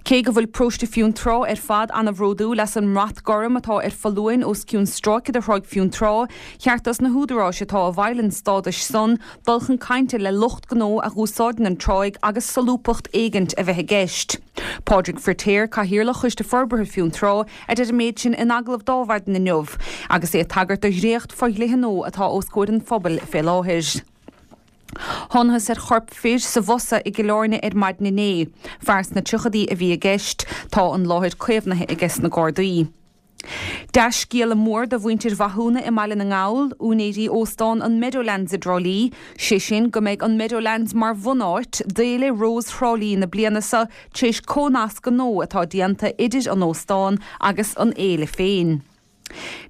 Cé go bhfuil paróiste Fionntrá ar fad ana-bhródúil as an mbrat gorm atá ar foluain os cionn stráice de Thráigh Fionntrá, cheart dos na húdaráis atá i bhfeighil an stádais san dul chun cainte le lucht gnó a dh'úsáideann an tráigh agus solúbthacht éigint a bheith i gceist. Pádraig Firtéar, Cathaoirleach Choiste Forbartha Fionntrá, a deir an méid sin in agallamh d'Adhmhaidin inniu agus é ag tagairt do dhréacht fo-dhlíthe nua atá os comhair an phobail fé láthair. Thánathas ar chorp fir sa bhfosa i gCill Airne ar maidin inné. Fear sna tríochaidí a bhí i gceist. Tá an láthair caomhnaithe aige sna Gardaí. Dea-scéala mór do mhuintir Mhathúna i mBaile na nGall, úinéirí óstán an Meadowlands i dTrá Lí, sé sin go mbeidh an Meadowlands mar bhunáit d'Fhéile Rós Thrá Lí na bliana seo tar éis comhnascadh nua atá déanta idir an óstán agus an fhéile féin.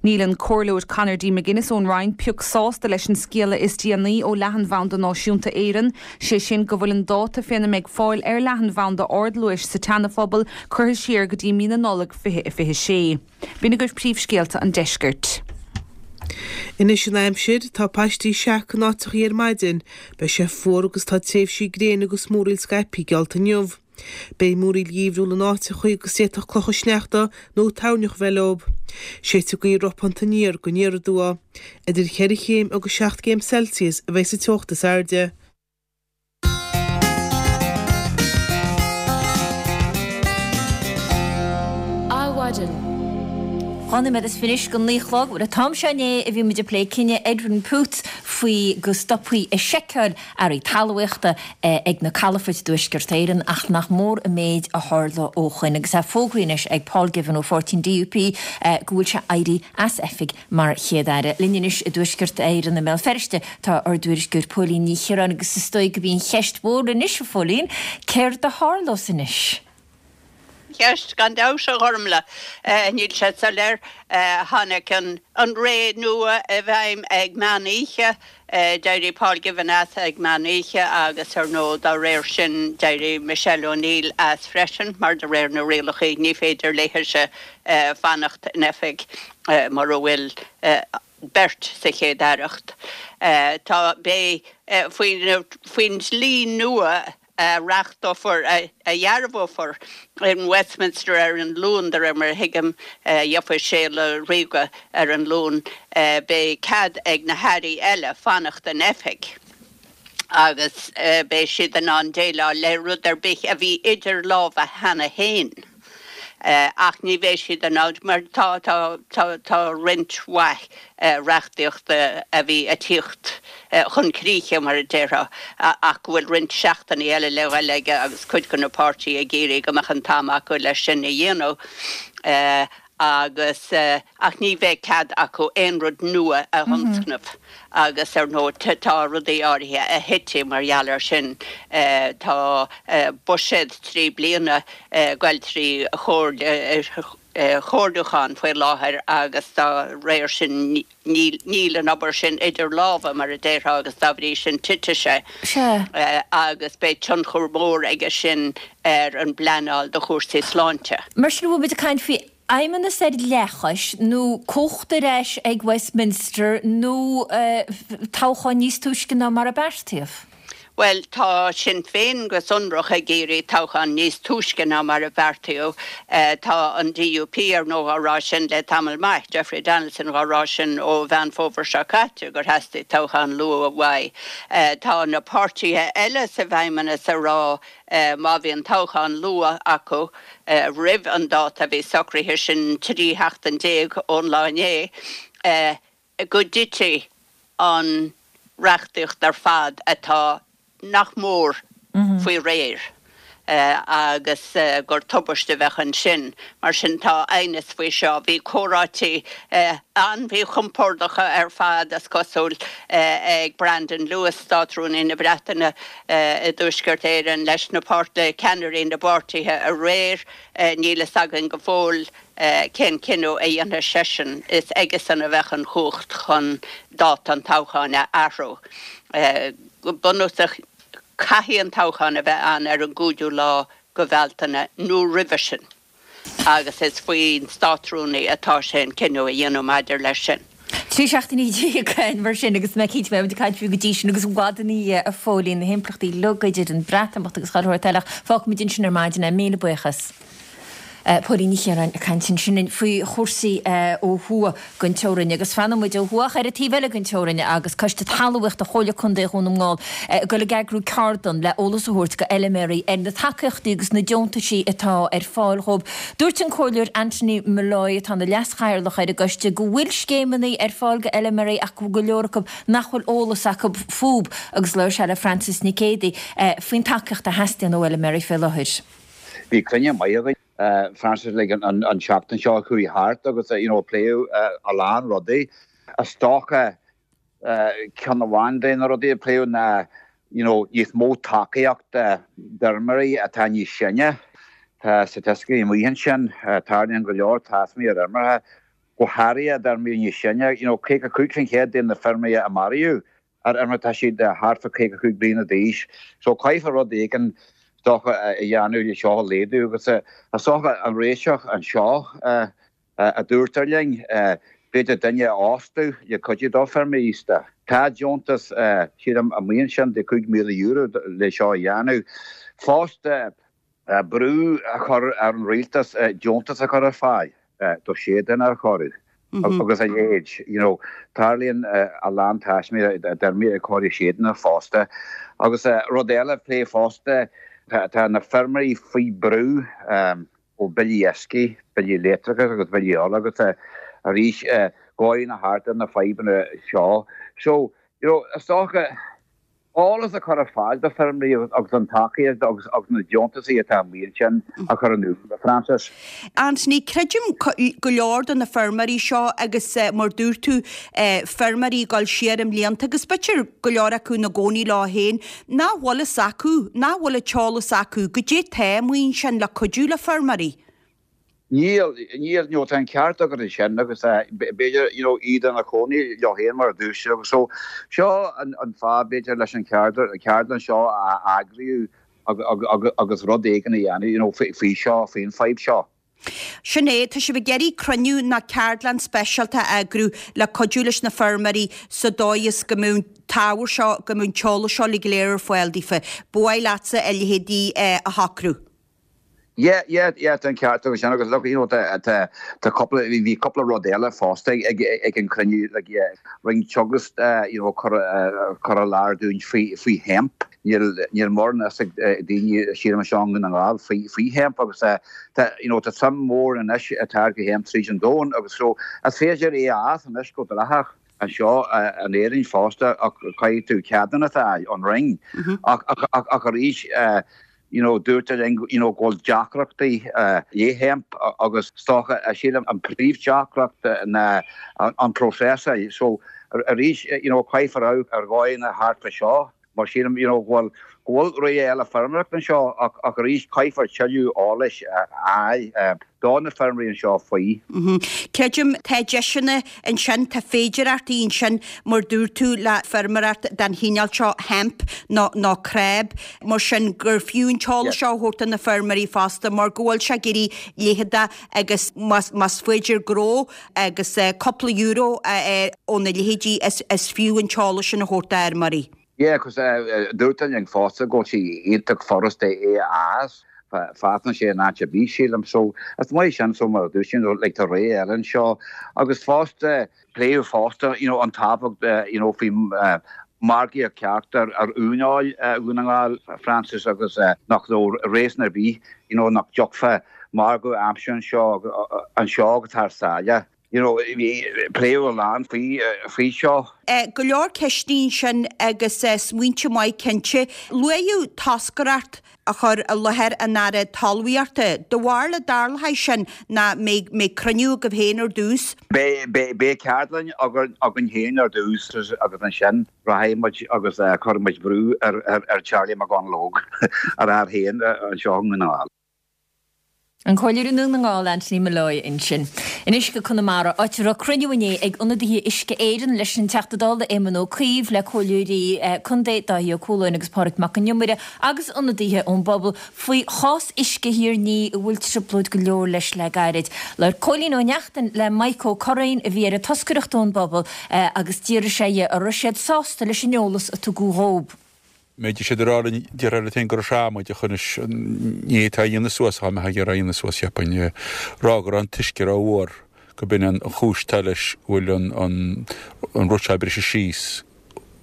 Níl an Comhairleoir Conor D. McGuinness ón Rinn pioc sásta leis an scéala is déanaí ó Leathanbhanda Náisiúnta Éireann, sé sin go bhfuil an dáta féna mbeidh fáil ar leathanbhanda ardluais sa tSeana-Phobal curtha siar go dtí mí na Nollag 2026. B'in agaibh príomhscéalta an deiscirt. Anois an aimsir, tá paistí seaca in áiteachaí ar maidin, beidh sé fuar agus tá tréimhsí gréine agus múraíl scaipthe geallta inniu. Beidh múraíl gheimhriúil in áiteachaí agus d'fhéadfadh clocha sneachta nó toirneach a bheith leo. Séidfidh gaoth ropánta aniar go aniar aduaidh. Idir cheithre chéim agus seacht gcéim Celsius a bheidh sa teocht is airde. Adhmhaidin. 12 nóiméad anois go 9 a chlog. Bhuel, an t-am seo inné a bhí muid ag plé cinneadh Edwin Poots faoi go stopfaí ag seiceáil earraí talmhaíochta ag na calafoirt i dTuaisceart Éireann ach nach mór an méid a tharla ó shoin agus é fógraithe anois ag Paul Givan ó pháirtí an DUP go bhfuil sé ag éirí as oifig Mar Chéad-Aire. Linn anois i dTuaisceart Éireann i mBéal Feirste tá ár dtuairisceoir Póilín Ní Chiaráin agus is dóigh gurb í an cheist mhór anois, a Phóilín, céard a tharlós anois? Ceist, gan dabht, a Ghormlaith. Níl sé soiléir. Tháinig an ré nua i bhfeidhm ag meán oíche. D'éirigh Paul Givan as ag meán oíche agus, ar ndóigh, dá réir sin, d'éirigh Michelle O'Neill as freisin mar de réir na rialacha ní féidir léithese fanacht in oifig. Mura bhfuil beirt sa Chéad-Aireacht, tá, beidh, faoin dlí nua a reachtófar, a dhearbhófar in Westminster ar an Luan, de réir mar a thuigim, gheofaí séala ríoga ar an Luan, beidh cead ag na hairí eile fanacht in oifig agus beidh siad in ann déileáil le rud ar bith a bhí idir lámha cheana féin. Ach ní bheidh siad in ann, mar tá, tá, tá, tá roinnt mhaith reachtaíochta a bhí ag tíocht chun críche, mar a déarfá, ach go bhfuil roinnt seachtainí eile le ghoil aige agus cuid de na páirtithe ag iarraidh go mbeadh an t-am acu leis sin a dhéanamh agus, ach ní bheidh cead acu aon rud nua a thionscnamh agus, ar ndóigh, tá rudaí áirithe a thitfidh mar gheall air sin. Tá buiséad 3 bliana ag goil trí chomhairliúchán faoi láthair agus dá réir sin níl an obair sin idir lámha, mar a déarfá, agus dá bhrí sin titfidh sé agus beidh tionchar mór aige sin ar an bpleanáil do chúrsaí sláinte. Mar sin, an bhfuil muid ag caint faoi fheidhmeannas ar leathchois nó cumhacht ar ais ag Westminster nó toghchán níos túisce ná mar a beartaíodh? Bhuel, tá Sinn Féin go sonrach ag iarraidh toghchán níos túisce ná mar a beartaíodh. Tá an DUP, ar ndóigh, á rá sin le tamall maith, Jeffrey Donaldson dhá rá sin ó Mheán Fómhair seo caite, gur theastaigh toghchán luath uaidh. Tá na páirtithe eile sa bhFeidhmeannas ag rá má bhíonn toghchán luath acu roimh an dáta a bhí socraithe, sin 13 sheachtain ón lá inné, go dtitfidh an reachtaíocht ar fad atá nach mór faoi réir agus gur tubaiste a bheadh ansin. Mar sin tá aighneas faoi seo. Bhí comhráití an-mhíchompordacha ar fad, is cosúil, ag Brandon Lewis, Státrúnaí na Breataine i dTuaisceart Éireann, leis na le ceannairí na bpáirtithe aréir. Níl fhios againn go fóill Cén cinneadh a dhéanfaidh seisean? Is aigesan a bheadh an chumhacht chun dáta an toghcháin a athrú. Go bunúsach, caithfidh an toghchán a bheith ann ar an gcúigiú lá de Bhealtaine nó roimhe sin agus is faoin Státrúnaí atá sé an cinneadh a dhéanamh maidir leis sin. 13 seachtainí ann mar sin agus mé cinnte beidh muid ag caint faoi go dtí sin agus i bhfad ina dhiaidh a Phóilín, na himpleachtaí uilig idir an Bhreatimeacht agus chuile shórt eile ach fágfaimid ansin ar maidin é. Míle buíochas. Póilín Ní Chiaráin ag caint ansin faoi chúrsaí ó thuaidh den teorainn agus fanfaidh muid ó thuaidh ach ar an taobh eile den teorainn agus Coiste Talmhaíochta Chomhairle Contae Dhún na nGall ag dul ag eagrú ceardlann le eolas a thabhairt go fheilméaraí ar na tacaíochtaí agus na deontaisí atá ar fáil dhóibh. Dúirt an Comhairleoir Anthony Molloy atá ina leas-chathaoirleach ar an gcoiste go bhfuil scéimeanna ar fáil go fheilméaraí ach go bhfuil go leor acu nach bhfuil eolas acu fúb agus labhair sé le Frances Nic Géadaigh faoin tacaíocht a theastaíonn ó fheilméaraí fé láthair. Bhí cruinniú maith againn, Frances, like an tseachtain seo a chuaigh thart agus you know pléadh a lán rudaí. Is dócha ceann amháin de na rudaí a pléadh ná you know níos mó tacaíochta d'fheirmeoirí atá níos sine. Tá staitisticí amuigh ansin, tarlaíonn go leor taismí ar fheirmeoirí, go háirithe d'fheirmeoirí níos sine, you know 55% de na feirmeoirí a maraíodh ar fheirmeacha tá siad thart fá 55 bliana d'aois. So caithfear rud éigin is dócha a dhéanamh le seo a laghdú agus is dócha an réiteach anseo a dúirtear linn, b'fhéidir duine a fhostú le cuidiú do feirmeoirí aosta. Tá deontas sílim amuigh ansin de €5,000 le seo a dhéanamh. Fosta brú a chur ar an rialtas deontas a chur ar fáil do séideanna a chóiriú agus a leithéid. You know, tarlaíonn a lán taismí d'fheirmeoirí ag cóiriú séideanna fosta. Agus rud eile a pléadh fosta, tá na feirmeoirí faoi brú ó billí uisce, billí leictreachais agus billí ola agus arís gabhann a thart ar na fadhbanna seo. So, you know, is dócha, eolas a chur ar fáil do feirmeoirí agus an tacaíocht agus na deontaisí atá amuigh ansin a chur in iúl, a Frances. Anthony, creidim go leor de na feirmeoirí seo agus mar dúirt tú feirmeoirí ag dul siar i mblianta agus b'fhéidir go leor acu ina gcónaí leo féin, nach bhfuil fhios acu, nach bhfuil an t-eolas acu, goidé tá amuigh ansin le cuidiú le feirmeoirí. Níl, níl, you know, tá an ceart agat ansin agus b'fhéidir, you know, iad ina chónaí leo féin mar a dúirt tú agus so seo an, an fáth b'fhéidir leis an cheardlann seo a eagraíodh agus rud éigin a dhéanamh, you know, faoi seo, faoin fadhb seo. Sin é, tá sibh ag iarraidh cruinniú nó ceardlann speisialta a eagrú le cuidiú leis na feirmeoirí sa dóigh is go mbeadh an t-ábhar seo, go mbeadh an t-eolas seo uilig go léir ar fáil daofa. Ba mhaith leatsa a leithéidí a shocrú. Yeah, yeah, yeah, tá an ceart agat sin agus look, you know, tá, tá, tá cúpla, bhí, bhí cúpla rud eile fosta ag, ag, ag an cruinniú, like, yeah, rinne Teagasc, you know, cur, cur i láthair dúinn faoi, faoi hemp. Níl, níl mórán fhios ag daoine sílim anseo i nDún na nGall faoi, faoi hemp agus tá, you know, tá suim mhór anois i táirgeadh hemp tríd an domhan agus so is féidir é a fhás anois go dleathach anseo in Éirinn fosta ach caithfidh tú ceadúnas a fháil ón Roinn. Ach, ach, ach, ach arís, you know dúirtear linn you know go bhfuil deacrachtaí le hemp agus is dócha sílim an príomhdheacracht ná an próiseáil so arís you know caithfear amharc ar dhóigheanna thart fá seo mar sílim you know go bhfuil go bhfuil rogha eile feirmeoireachta anseo ach ach arís caithfear tuilleadh eolais a fháil do na feirmeoirí anseo faoi. Creidim, tá deiseanna ansin, tá féidireachtaí ansin, mar dúirt tú, le feirmeoireacht den chineál seo, hemp nó nó cráb, mar sin, gur fiú an t-eolas seo a thabhairt do na feirmeoirí fosta mar go bhfuil sé ag éirí leitheadach agus más más féidir gnó agus cúpla euro a fháil óna leithéidí is is fiú an t-eolas sin a thabhairt d'fheirmeoirí. Yeah, 'cause dúirtear linn fosta go bhfuil sé iontach furasta é a fhás, fásann sé in áit ar bith sílim, so is maith sin, so mar a dúirt tú, like tá rogha eile anseo agus fosta, pléadh fosta, you know, an tábhacht, you know, faoi margaíocht ceart ar ar uaineoil Dhún na nGall, Francis, agus nach raibh réasún ar bith, you know, nach dtiocfadh margadh a aimsiú anseo, anseo agus thar sáile. You know, bhí, pléadh a lán faoi, faoi seo. Go leor ceisteanna ansin agus smaointe maith cinnte. Luaíodh toscaireacht a chur i láthair an Aire Talmhaíochta. Do bharúil an dtarlóidh sin nó mbeidh, mbeidh cruinniú agaibh féin ar dtús? Beidh, beidh, beidh ceardlann againn, againn féin ar dtús agus ansin rachaidh muid agus cuirfidh muid brú ar, ar, ar Charlie McConalogue, ar fhear féin anseo i nDún na nGall. An Comhairleoir i nDún na nGall, Anthony Molloy ansin. Anois go Conamara, áit a raibh cruinniú inné ag ionadaithe Uisce Éireann leis an Teachta Dála Éamon Ó Cuív, le Comhairleoirí Contae Dáithí Ó Cualáin agus Pádraig Mac Con Iomaire agus ionadaithe ón bpobal faoi chás Uisce Thír an Fhia a bhfuil trioblóid go leor leis le gairid. Labhair Cóilín Ó Neachtain le Maidhc Ó Curraoin a bhí ar an toscaireacht ón bpobal agus d'fhiafraigh sé dhe an raibh siad sásta leis an eolas a tugadh dhób. Méid siad ag rá linn, déarfá leat féin gur srámaid ach anois ní atá a dhéanamh suas dá mbeifeá ag iarraidh a dhéanamh suas cheapfainn, rá go raibh an t-uisce rófhuar, go b'in an chúis atá leis go bhfuil an an rud seo ag briseadh síos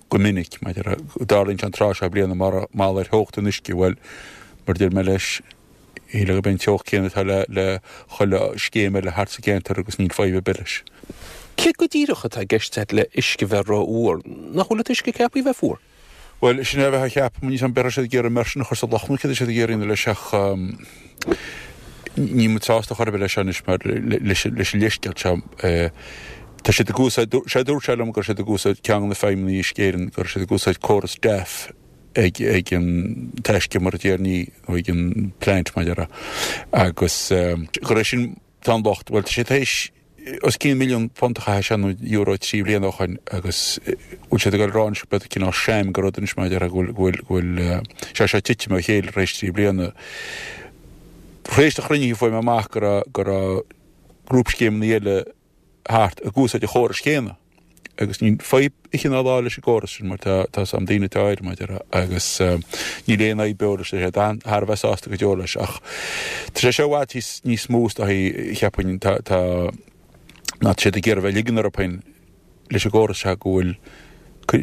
go minic, maidir le go dtarlaíonn sé an tráth seo bliana mar gheall ar theocht an uisce, bhuel, mar a deir mé leis, shílfeá gurb é an teocht céanna atá le le chuile scéim eile thart sa gceantar agus níl fadhb ar bith leis. Céard go díreach atá i gceist agat le uisce bheith rófhuar? Nach bhfuil an t-uisce ceaptha a bheith fuar? Bhuel, sin é a bheifeá a cheapadh, níl 's a'm an raibh siad ag iarraidh immersion a chur sa loch nó céard a siad ag iarraidh leis ach níl muid sásta chor ar bith leis seo anois mar leis an leithscéal seo tá siad ag úsáid, sé dúirt sé liom go raibh siad ag úsáid ceann de na feidhmeannaigh Uisce Éireann, go raibh siad ag úsáid córas DAF ag ag an taisce mar a déarfaí nó ag an plant mar a déarfá agus go raibh sin tá an locht, bhuel tá sé tar éis os cionn £1,000,000 a chaith sé nó euro 3 bliana ó shoin agus bhfuil siad ag dul a rá anois gurb cineál sham de rud anois mar a déarfá go bhfuil go bhfuil go bhfuil sé seo titim ó chéile tar éis 3 bliana. Tar éis do chruinnithe fuair mé amach go raibh go raibh grúpscéimeanna eile thart ag úsáid an chórais chéanna agus níl fadhb oíche ná lá leis an gcóras sin mar tá tá 's a'm daoine atá air mar a déarfá agus níl aon fhadhb beo leis tá siad thar a bheith sásta go deo leis ach tá sé seo i bhfad níos níos mó is dóichí cheapfainn tá tá ná tá siad ag iarraidh bheith ag ligean orthu féin leis an gcóras seo go bhfuil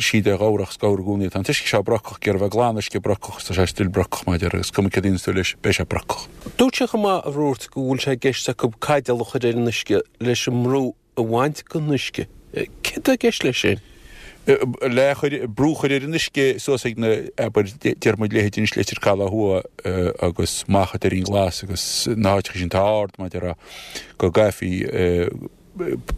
siad ar ghabhrach is gabhar i gcónaí tá an t-uisce seo brocach ag iarraidh bheith glan uisce brocach agus tá sé still brocach mar a déarfá agus cuma céard a dhéanas tú leis beidh sé brocach. Dúirt sé chomh maith a Bhruairt go bhfuil sé i gceist acu caidéal a chur ar an uisce leis an mbrú a bhaint den uisce. Céard atá i gceist leis sin? Le chur, brú a chur ar an uisce suas ag na, abair, deir muid leithéid anois Leitir Caladh Thuaidh agus Macha Doirín Glas agus na háiteacha sin atá ard mar a déarfá go gcaithfí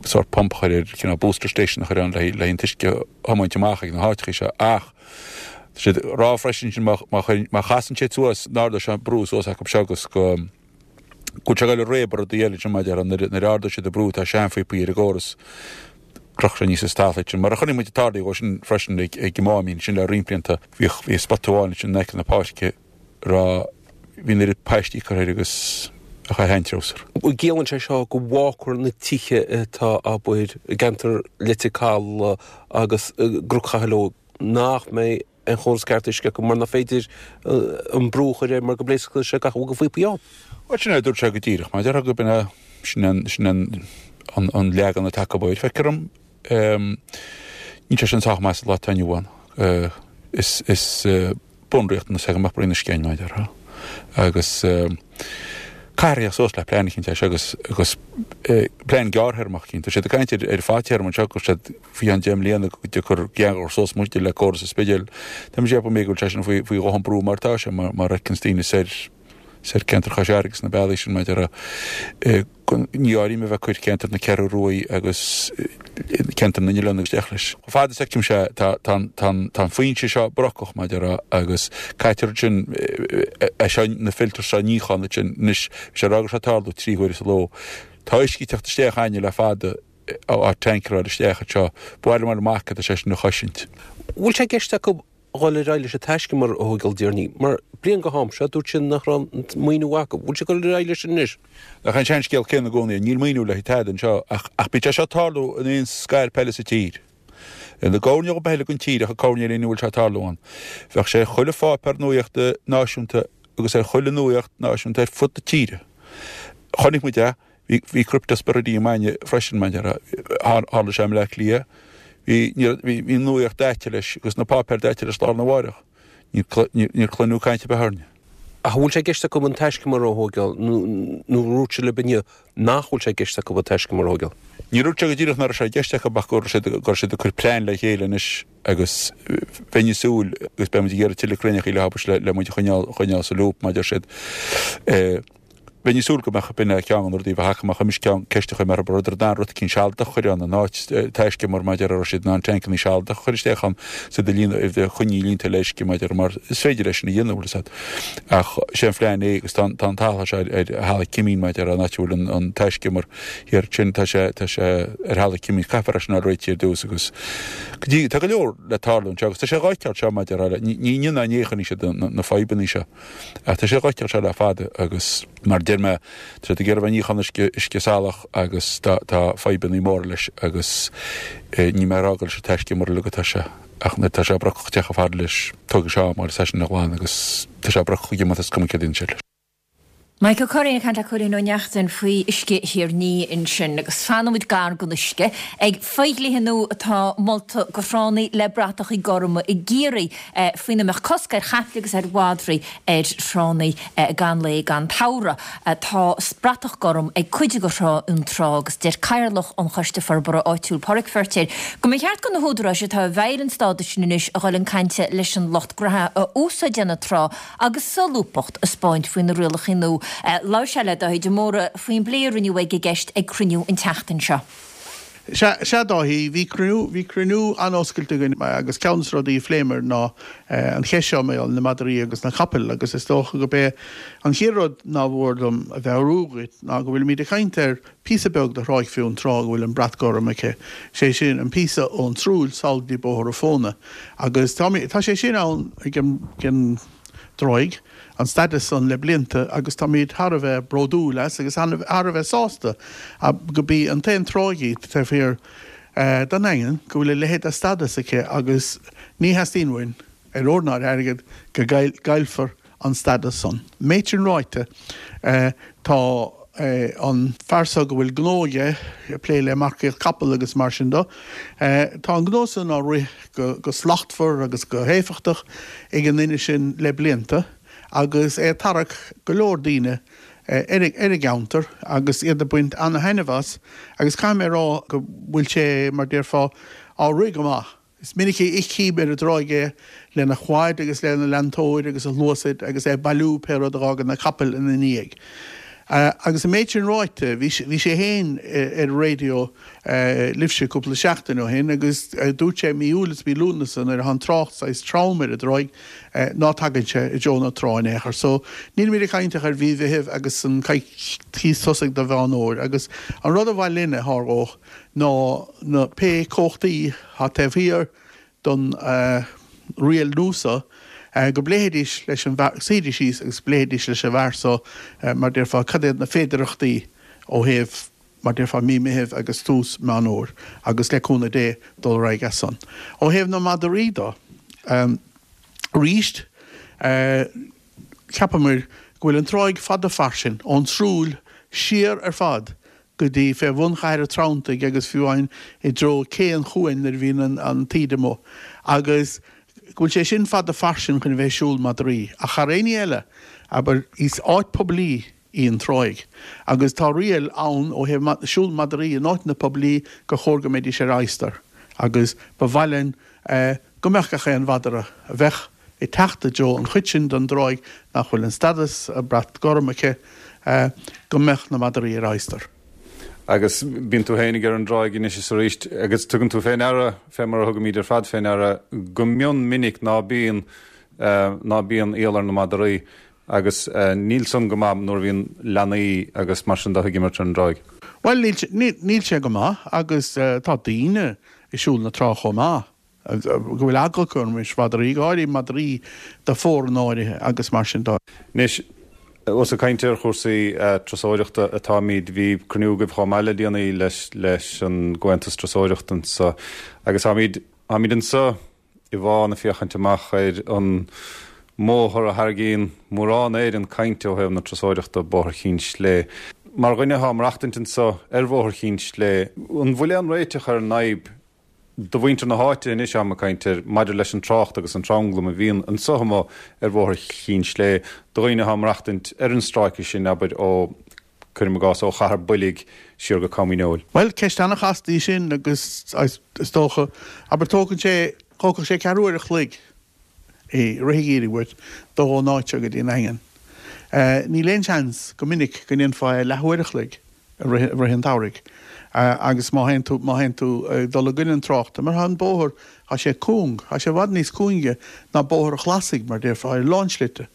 sórt pump a chur ar, cineál booster station a chur ann le haghaidh an t-uisce a thiomáint amach ag na háiteacha seo ach tá siad ag rá freisin sin má, má chuireann, má chasann siad suas, n-ardóidh sé an brú suas acu seo agus go. go bhfuil sé ag dul ag réabadh rudaí eile ansin mar a déarfá nuair a ardóidh siad an brú tá seanphíopaí ar an gcóras crochfaidh sé aníos an talamh sin mar a chonaic muid ag tarlú dhó sin freisin ag ag an Máimín sin le roinnt blianta bhíodh bhí spota amháin ansin in aice na páirce raibh bhí an oiread paistí curtha air agus. Ach ar sheantreabhsar. An gciallaíonn sé seo go bhfágfar na tithe atá abair i gceantar Leitir Caladh agus i gCnoc Chathail Óig nach mbeidh aon chóras ceart uisce acu mar nach féidir an brú a chur air mar go bpléascfaidh sé gach a bhfuil de phíopaí ann? Bhuel sin é a dúirt sé go díreach mar a déarfá gurb in é sin an sin an an leagan atá acu air. Feictear dom níl sé sin sách maith sa lá atá inniu ann. Is is bunriachtanas é go mbeadh broinn uisce ann, mar a déarfá. Agus caithfear a theacht suas le plean eicínt leis agus agus plean gearrthéarmach eicínt. Tá siad ag caint ar ar fadtéarma anseo go bhfuil siad faoi cheann 10 mbliana go dtiocfar geangal suas muid le córas an Spidéil. Tá mé ag ceapadh go bhfuil sé sin faoi faoi dhóthain brú mar atá sé mar mar a fheiceanns daoine soir soir ceantar Chois Fharraige agus na bealaí sin mar a déarfá. Ní áirím a bheith ag cur ceantar na Ceathrú Ruaidh agus ceantar na nOileán agus isteach leis. Chomh fada is feicimse é, tá an foinse seo brocach, mar a déarfá, agus caitear ansin é seo, na filters seo a níochán ansin. Anois, bhí sé ag rá go raibh sé ag tarlú trí huaire sa ló. Tá uisce ag teacht isteach againne le fada á tancaráil isteach anseo. Ba mhaith liom fháil amach cad tá sé sin a chosaint. Bhfuil sé i gceist acu dhul ar aghaidh leis an taiscumar a thóigeáil déarnaí, mar bliain go ham seo dúirt siad nach raibh an maoiniú acu. Bhfuil siad ag dul ar aghaidh leis sin anois? Nach é an seanscéal céanna i gcónaí é, níl maoiniú le haghaidh tada anseo ach ach bíonn sé seo ag tarlú in aon scailp eile sa tír. Ina gcoirnéal ar bith eile den tír ach an coirnéal ina bhfuil sé ag tarlú ann. Bheadh sé ar chuile pháipéar nuaíochta náisiúnta agus ar chuile nuaíocht náisiúnta ar fud na tíre. Chonaic muid é Bhí, bhí Cryptosporidium againne freisin, mar a déarfá. Tharla sé i mBleá Cliath. Bhí, ní raibh, bhí, bhí an nuaíocht daite leis agus na páipéir daite leis lá arna mháireach. Níor, níor, níor cluineadh caint ar bith orainne. Ach an bhfuil sé i gceist acu an taiscumar a thóigeáil nó, nó dúirt sé libh inniu nach bhfuil sé i gceist acu an taiscumar a thóigeáil? Níor dúirt sé go díreach nach raibh sé i gceist acu ach go raibh siad, go raibh siad ag cur plean le chéile anois agus bheinn ag súil agus beidh muid ag iarraidh tuilleadh cruinneachaí le habairt le, le muid a choinneáil, choinneáil sa loop, mar a deir siad. Eh. Bheinn ag súil go mbeadh, b'in é ceann de na rudaí a bheadh acu, má chuimis ceann, ceist a chuir mé orthu, an rabhadar in ann rud eicínt sealadach a chur ann in áit taiscumar mar a déarfá, raibh siad in ann tancannaí sealadach a chur isteach ann is iad a líonadh, a choinneáil líonta le uisce mar a déarfá, mar is féidir é sin a dhéanamh, bhfuil fhios agat. Ach sé an phlean é agus tá an, tá an talamh seo ar, ar Halla Cimín mar a déarfá, an áit a bhfuil an, an taiscumar thiar ansin, tá sé, tá sé ar Halla Cimín, caithfear é sin a fháil réitithe ar dtús agus go dtí, tá go leor le tarlú anseo agus tá sé dhá fheiceáil seo mar a déarfá, ní, ní inniu ná inné a chonaic siad na, na fadhbannaí seo. Ach tá sé dhá fheiceáil seo le fada agus mar a deir mé, tá siad ag iarraidh a bheith ag níochán uisce, uisce salach agus tá, tá fadhbannaí móra leis agus níl mé ag rá go bhfuil sé taiscumar uilig atá sé ach nuair atá sé brocach ag teacht chomh fada leis, tógfaidh sé am agus é sin a ghlanadh agus tá sé brocach ag imeacht is cuma céard a dhéanann siad leis. Mike Ó Curraoin ag caint le Cóilín Ó Neachtain faoi uisce Thír an Fhia ansin agus fanfaidh muid gar don uisce ag fodhlíthe nua atá molta do thránna le bratachaí gorma i gCiarraí. faoina mbeadh cosc ar chaiple agus ar mhadraí ar thránna gan lao gan tsamhradh. Tá bratach gorm ag cuid de Thrá Fhionntrá agus deir Cathaoirleach an Choiste Forbartha Áitiúil, Páraic Feirtéar, go mba cheart do na húdaráis atá i bhfeighil an stádais sin anois a dhul chun cainte leis an lucht graithe a úsáideann an trá agus solúbthacht a 'speáint faoi na rialacha nua. Labhair sé le Dáithí de Mórdha faoin bplé a rinneadh ag an gceist ag cruinniú an tseachtain seo. Sea, sea Dáithí, bhí cruinniú, bhí cruinniú an-oscailte againn agus ceann des na rudaí a phléamar ná an cheist seo mar gheall ar na madraí agus na capaill agus is dócha go b'é an chéad rud nár mhór dom a mheabhrú dhuit ná go bhfuilimid ag caint ar phíosa beag de Thráigh Fionntrá go bhfuil an brat gorm aici, sé sin an píosa ón tSrúill sall go dtí Bóthar a' Phóna agus tá, tá sé sin ann ag an, ag an. dtráigh, an stadas san le blianta agus táimid thar a bheith bródúil as agus thar a bheith sásta go b'í an t-aon tráigh í taobh thiar den nDaingean go bhfuil a leithéid de stadas aici agus ní theastaíonn uainn, ar ór ná ar airgead, go gcaillfear an stadas san. Méid sin ráite, tá an fear so go bhfuil gnó aige ag plé le marcaíocht capall agus mar sin do, tá an gnó san á rith go slachtmhar agus go héifeachtach ag an nduine sin le blianta agus é ag tarrac go leor daoine ar an gceantar agus iad ag baint ana-thaitneamh as agus caithfidh mé a rá go bhfuil sé, mar déarfá, á rith go maith. Is minic a fheicim ar an dtráigh é lena quad agus lena leantóir agus a shluasaid agus é ag bailiú pé rud a dh'fhágann na capaill ina ndiaidh. Agus an méid sin ráite, bhí sé féin ar an raidió libhse cúpla seachtain ó shin agus dúirt sé mí Iúil is mí Lúnasa nuair atá an trácht saghas trom ar an dtráigh ná tagann sé i dtreo na trá in aon chor. So nílimid ag caint ach ar mhí Mheithimh agus an coicíos tosaigh de Mheán Fhómhair agus an rud a mhaith linne a tharlódh ná na pé comhachtaí atá taobh thiar don riail nua so. go bpléifidís leis an bhfear, suífidís síos agus pléifidís leis an bhfear so, mar déarfá, cad iad na féidearthachtaí ó thaobh, mar déarfá, mí Meithimh agus tús Meán Fhómhair agus le cúnamh Dé dul ar aghaidh as san. Ó thaobh na madraí do, arís, cheapamair go bhfuil an tráigh fada fairsing, ón Srúill siar ar fad go dtí fé bhun Chathair an Treanntaigh agus fiú amháin i dtreo Cé an Chuain nuair a bhíonn an taoide amuigh agus go bhfuil sé sin fada fairsing chun a bheith ag siúl madraí. Ach thar aon ní eile, abair, is áit poiblí í an tráigh agus tá riail ann ó thaobh siúl madraí in áiteanna poiblí gur chóir go mbeidís ar adhastar agus ba mhaith linn go mbeadh gach aon mhadra a bheadh ag teacht i dtreo an chuid sin den dtráigh nach bhfuil an stadas brat gorm aici, go mbeadh na madraí ar adhastar. Agus bíonn tú féinig ar an dtráigh anois is arís agus tugann tú fé ndeara, fé mar a thugaimid ar fad fé ndeara, go mion minic ná bíonn, ná bíonn iall ar na madraí agus níl san go maith nuair a bhíonn leanaí agus mar sin de ag imirt ar an dtráigh. Bhuel, níl sé go maith agus tá daoine ag siúl na trá chomh maith. go bhfuil eagla acu roimis mhadraí, go háirithe madraí de phóranna áirithe agus mar sin de. Anois, ós ag caint ar chúrsaí turasóireachta atáimid, bhí cruinniú agaibh chomh maith le déanaí leis leis an gComhaontas Turasóireachta anseo agus táimid táimid anseo i bhFána ag féachaint amach ar an mbóthar a tharraingíonn mórán Éireann cainte ó thaobh na turasóireachta, Bóthar Chinn Slé. Mar dhuine atá ag maireachtaint anseo ar Bhóthar Chinn Slé, an bhfuil aon réiteach ar an fhadhb do mhuintir na háite anois táim ag caint air maidir leis an trácht agus an tranglam a bhíonn anseo amuigh ar Bhóthar Chinn Slé do dhaoine atá ag maireachtaint ar an stráice sin, abair, ó, cuirim i gcás, ó Chathair Boilg siar go Com Dhíneol. Bhuel, ceist an-chasta í sin agus is dócha, abair, tógann sé, thógfadh sé ceathrú uair a chloig i rith an gheimhridh uait dul ón áit seo go dtí an Daingean. Níl aon seans go minic go ndéanfá é leathuair a chloig. i rith an tsamhraidh agus má théann tú, má théann tú ag dul i gcoinne an tráchta, mar tá an bóthar, tá sé cúng, tá sé i bhfad níos cúinge ná Bóthar an Chlasaigh, mar déarfá, ar a lán slite,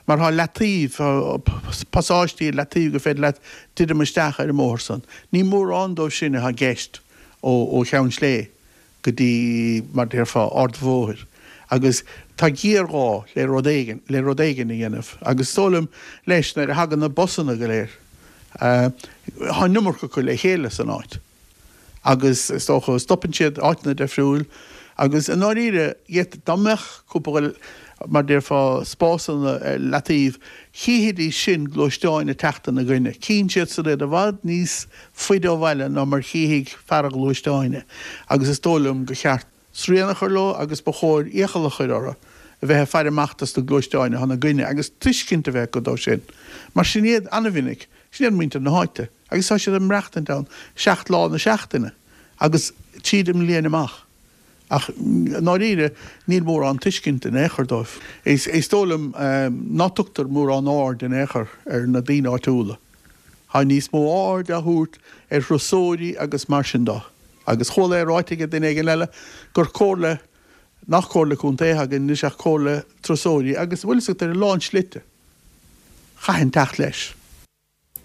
mar tá leataobh, tá pasáistí ar leataobh gur féidir leat druidim isteach ar an mbóthar san. Ní mórán dóibh sin atá i gceist ó Cheann Slé. go dtí, mar déarfá, Ard an Bhóthair agus tá géarghá le rud éigin, le rud éigin a dhéanamh agus is dóigh liom, leis, nuair a thagann na busanna go léir, tá an iomarca acu le chéile san áit agus is dócha, stopann siad áiteanna difriúil agus i ndáiríre, dá mbeadh cúpla, mar déarfá, spásanna ar leataobh, chífidís sin gluaisteáin ag teacht ina gcoinne. Cíonn siad san iad i bhfad níos faide ó bhaile ná mar chífidh fear an ghluaisteáin é agus is dóigh liom gur cheart srian a chur leo agus ba chóir iachall a chur orthu a bheith ag faire amach dos na gluaisteáin atá ina gcoinne agus tuiscint a bheith acu dó sin mar sin iad an-mhinic, sin iad muintir na háite agus tá siad ag maireachtaint ann seacht lá na seachtaine agus tríd an mbliain amach. Ach i ndáiríre, níl mórán tuiscint in aon chor dóibh. Is dóigh liom ná tugtar mórán aird in aon chor ar na daoine áitiúla. Tá níos mó aird á thabhairt ar thurasóirí agus mar sin de. Agus chuala é ráite ag duine éigin eile gur comhairle, nach comhairle contae atá againn anois ach comhairle turasóirí agus bhfuil fhios agat ar a lán slite, chaithfinn teacht leis.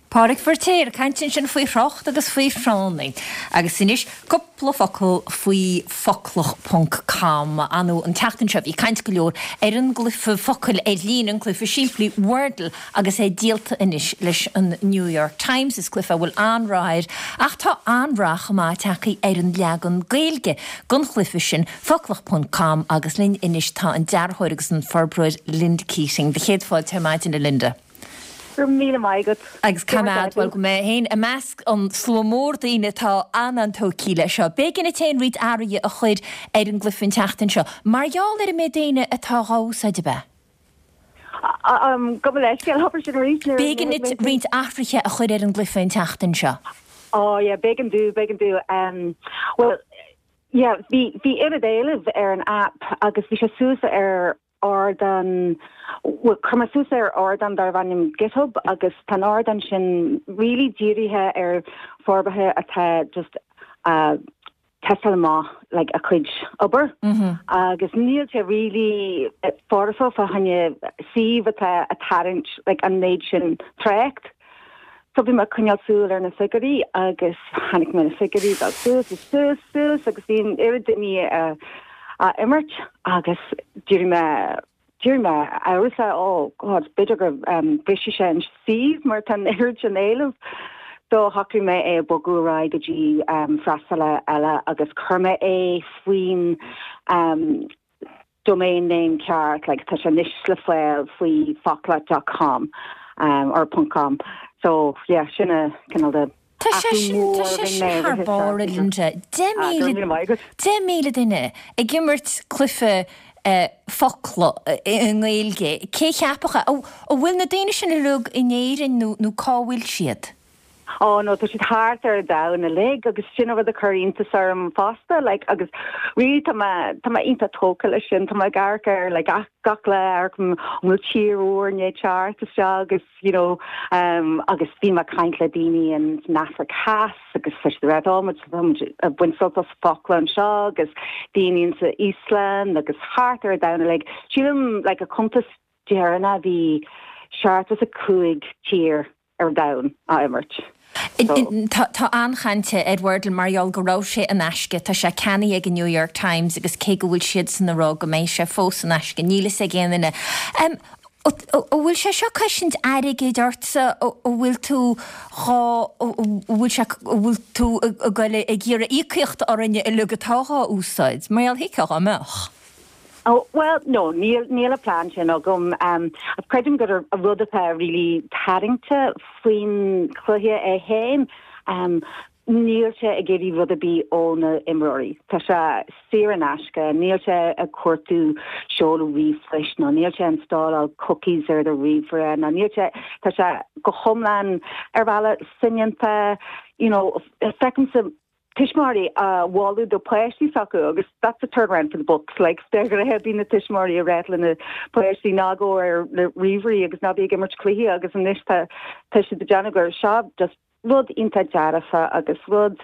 Pádraig Feiritéar ag caint ansin faoi thrácht agus faoi thránna. Agus anois cúpla focal faoi Foclach ponc com. Ar ndóigh an tseachtain seo bhí caint go leor ar an gcluiche focail ar líne, an cluiche simplí Wordle agus é díolta anois leis an New York Times. Is cluiche a bhfuil an-rath air ach tá an-rath chomh maith tagtha ar an leagan Gaeilge den chluiche sin, Foclach ponc com agus linn anois tá an dearthóir agus an forbróir Linda Keating. Do chéad fáilte ar maidin a Linda. Go raibh míle maith agat. Agus cá mbead? Bhuel, go mbeidh mé féin i measc an slua mór daoine atá an-an-tógtha leis seo. B'éigean duit féin roinnt athruithe a chur ar an gcluiche an tseachtain seo. Mar gheall ar an méid daoine atá dhá úsáid, ab ea? Gabh mo leithscéal, abair sin arís. B'éigean duit roinnt athruithe a chur ar an gcluiche an tseachtain seo. Ó, yeah, b'éigean domh, b'éigean domh. Bhuel, yeah, bhí, bhí oiread éilimh ar an app agus bhí sé suas ar ardán, bhuel, chuir mé suas ar ardán darbh ainm GitHub agus tá an ardán sin really dírithe ar forbartha atá just a' tástáil amach like a cuid obair agus níl sé really foirfe fá choinne suíomh atá a' tarraingt like an méid sin trácht. So bhí mé ag coinneáil súil ar na figiúirí agus chonaic mé na figiúirí dul suas is suas suas agus bhí an oiread daoine á imirt agus d'éirigh mé. D'éirigh mé amhrasach, oh God, b'fhéidir go mbrisfidh sé an suíomh mar tá an oiread sin éilimh. So shocraigh mé é a bogadh ar aghaidh go dtí freastalaí eile agus chuir mé é faoin domain name ceart, like tá sé anois le fáil faoi foclach dot com or ponc com. So yeah, sin a cineál de Tá sé athrú sin, mór tá a sé rinne sin mé thar rith barr, a Linda. Ah, go raibh míle maith agat. 10,000 duine ag imirt cluiche focla i nGaeilge. Cé cheapfadh é? An bhfuil na daoine sin uilig in Éirinn nó nó cá bhfuil siad? Oh no, tá siad thart ar an domhan uilig agus sin an rud a chuir iontas orm fosta, like, agus really tá mé, tá mé iontach tógtha leis sin, tá mé ag amharc air like gach lá, amharcaim an bhfuil tír úr i ndiaidh teacht isteach agus you know, um, agus bhí mé ag caint le daoine in san Afraic Theas agus tá siad ag rá, tá muid, tá muid ag baint sult as focla anseo agus daoine in sa Íoslainn agus thart ar an domhan uilig. Sílim, like, a cuntas deireanach bhí 75 tír ar an domhan á imirt. So. Tá an-chaint ar Wordle mar gheall go raibh sé in aisce. Tá sé ceannaithe ag an New York Times agus cé go bhfuil siadsan ag rá go mbeidh sé fós in aisce, níl fhios ag aon duine. An bhfuil sé seo cosaint airgid ortsa? An bhfuil tú dhá, an bhfuil sé, an bhfuil tú ag goil ag iarraidh íocaíocht orainne uilig atá dhá úsáid? Mar gheall thuigfeá dhá mbeadh. Oh, bhuel, no, níl, níl an plean sin agam. Creidim gur an rud atá really tarraingte faoin chluiche é féin, níl sé ag iarraidh rud ar bith ó na imreoirí. Tá sé saor in aisce, níl sé ag cuartú seoladh ríomhphoist nó níl sé ag installáil cookies ar do ríomhaire nó níl sé, tá sé go hiomlán ar bhealach soineanta, you know, feicimse tuismitheoirí á mholadh do pháistí s'acu agus that's a turnaround for the books like de ghnáth bíonn na tuismitheoirí ag ráit lena páistí ná gabh ar na ríomhairí agus ná bí ag imirt cluichí agus anois tá tá siad ag déanamh gur seo just rud iontach dearfa agus rud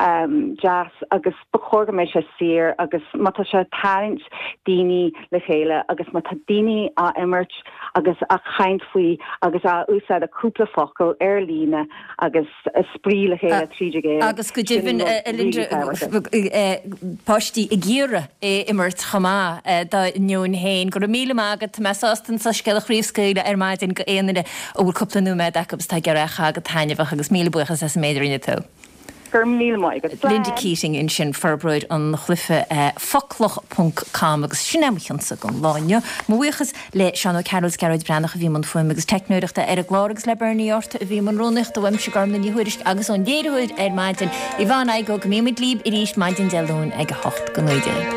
um, deas agus ba chóir go mbeidh sé saor agus má tá sé ag tarraingt daoine le chéile agus má tá daoine á imirt agus á chaint faoi agus á úsáid a cúpla focal ar líne agus spraoi le chéile tríd an Ghaeilge. Agus go deimhin, a Linda, páistí ag iarraidh é a imirt chomh maith dá ndeoin féin. Go raibh míle maith agat. Tá mé sásta an soiscéal a chraobhscaoileadh ar maidin go aon duine a bhfuil cúpla nóiméad acu agus atá ag iarraidh é a chaitheamh go taitneamhach agus míle buíochas as an méid a rinne tú. Go raibh míle maith agat. Slán. Linda Keating ansin, forbróir an chluiche Foclach ponc com agus sin é mo chionsa don lá inniu. Mo bhuíochas le Seán Ó Cearúil is Gearóid Breathnach a bhí i mbun fuaime agus teicneoireachta ar an gclár agus le Bernie Orta a bhí i mbun rúnaíochta uaimse Gormlaith Ní Thuairisg agus ón léiritheoir ar maidin, Yvonne Igoe. Go mbí muid libh arís maidin Dé Luain ag 8 go 19.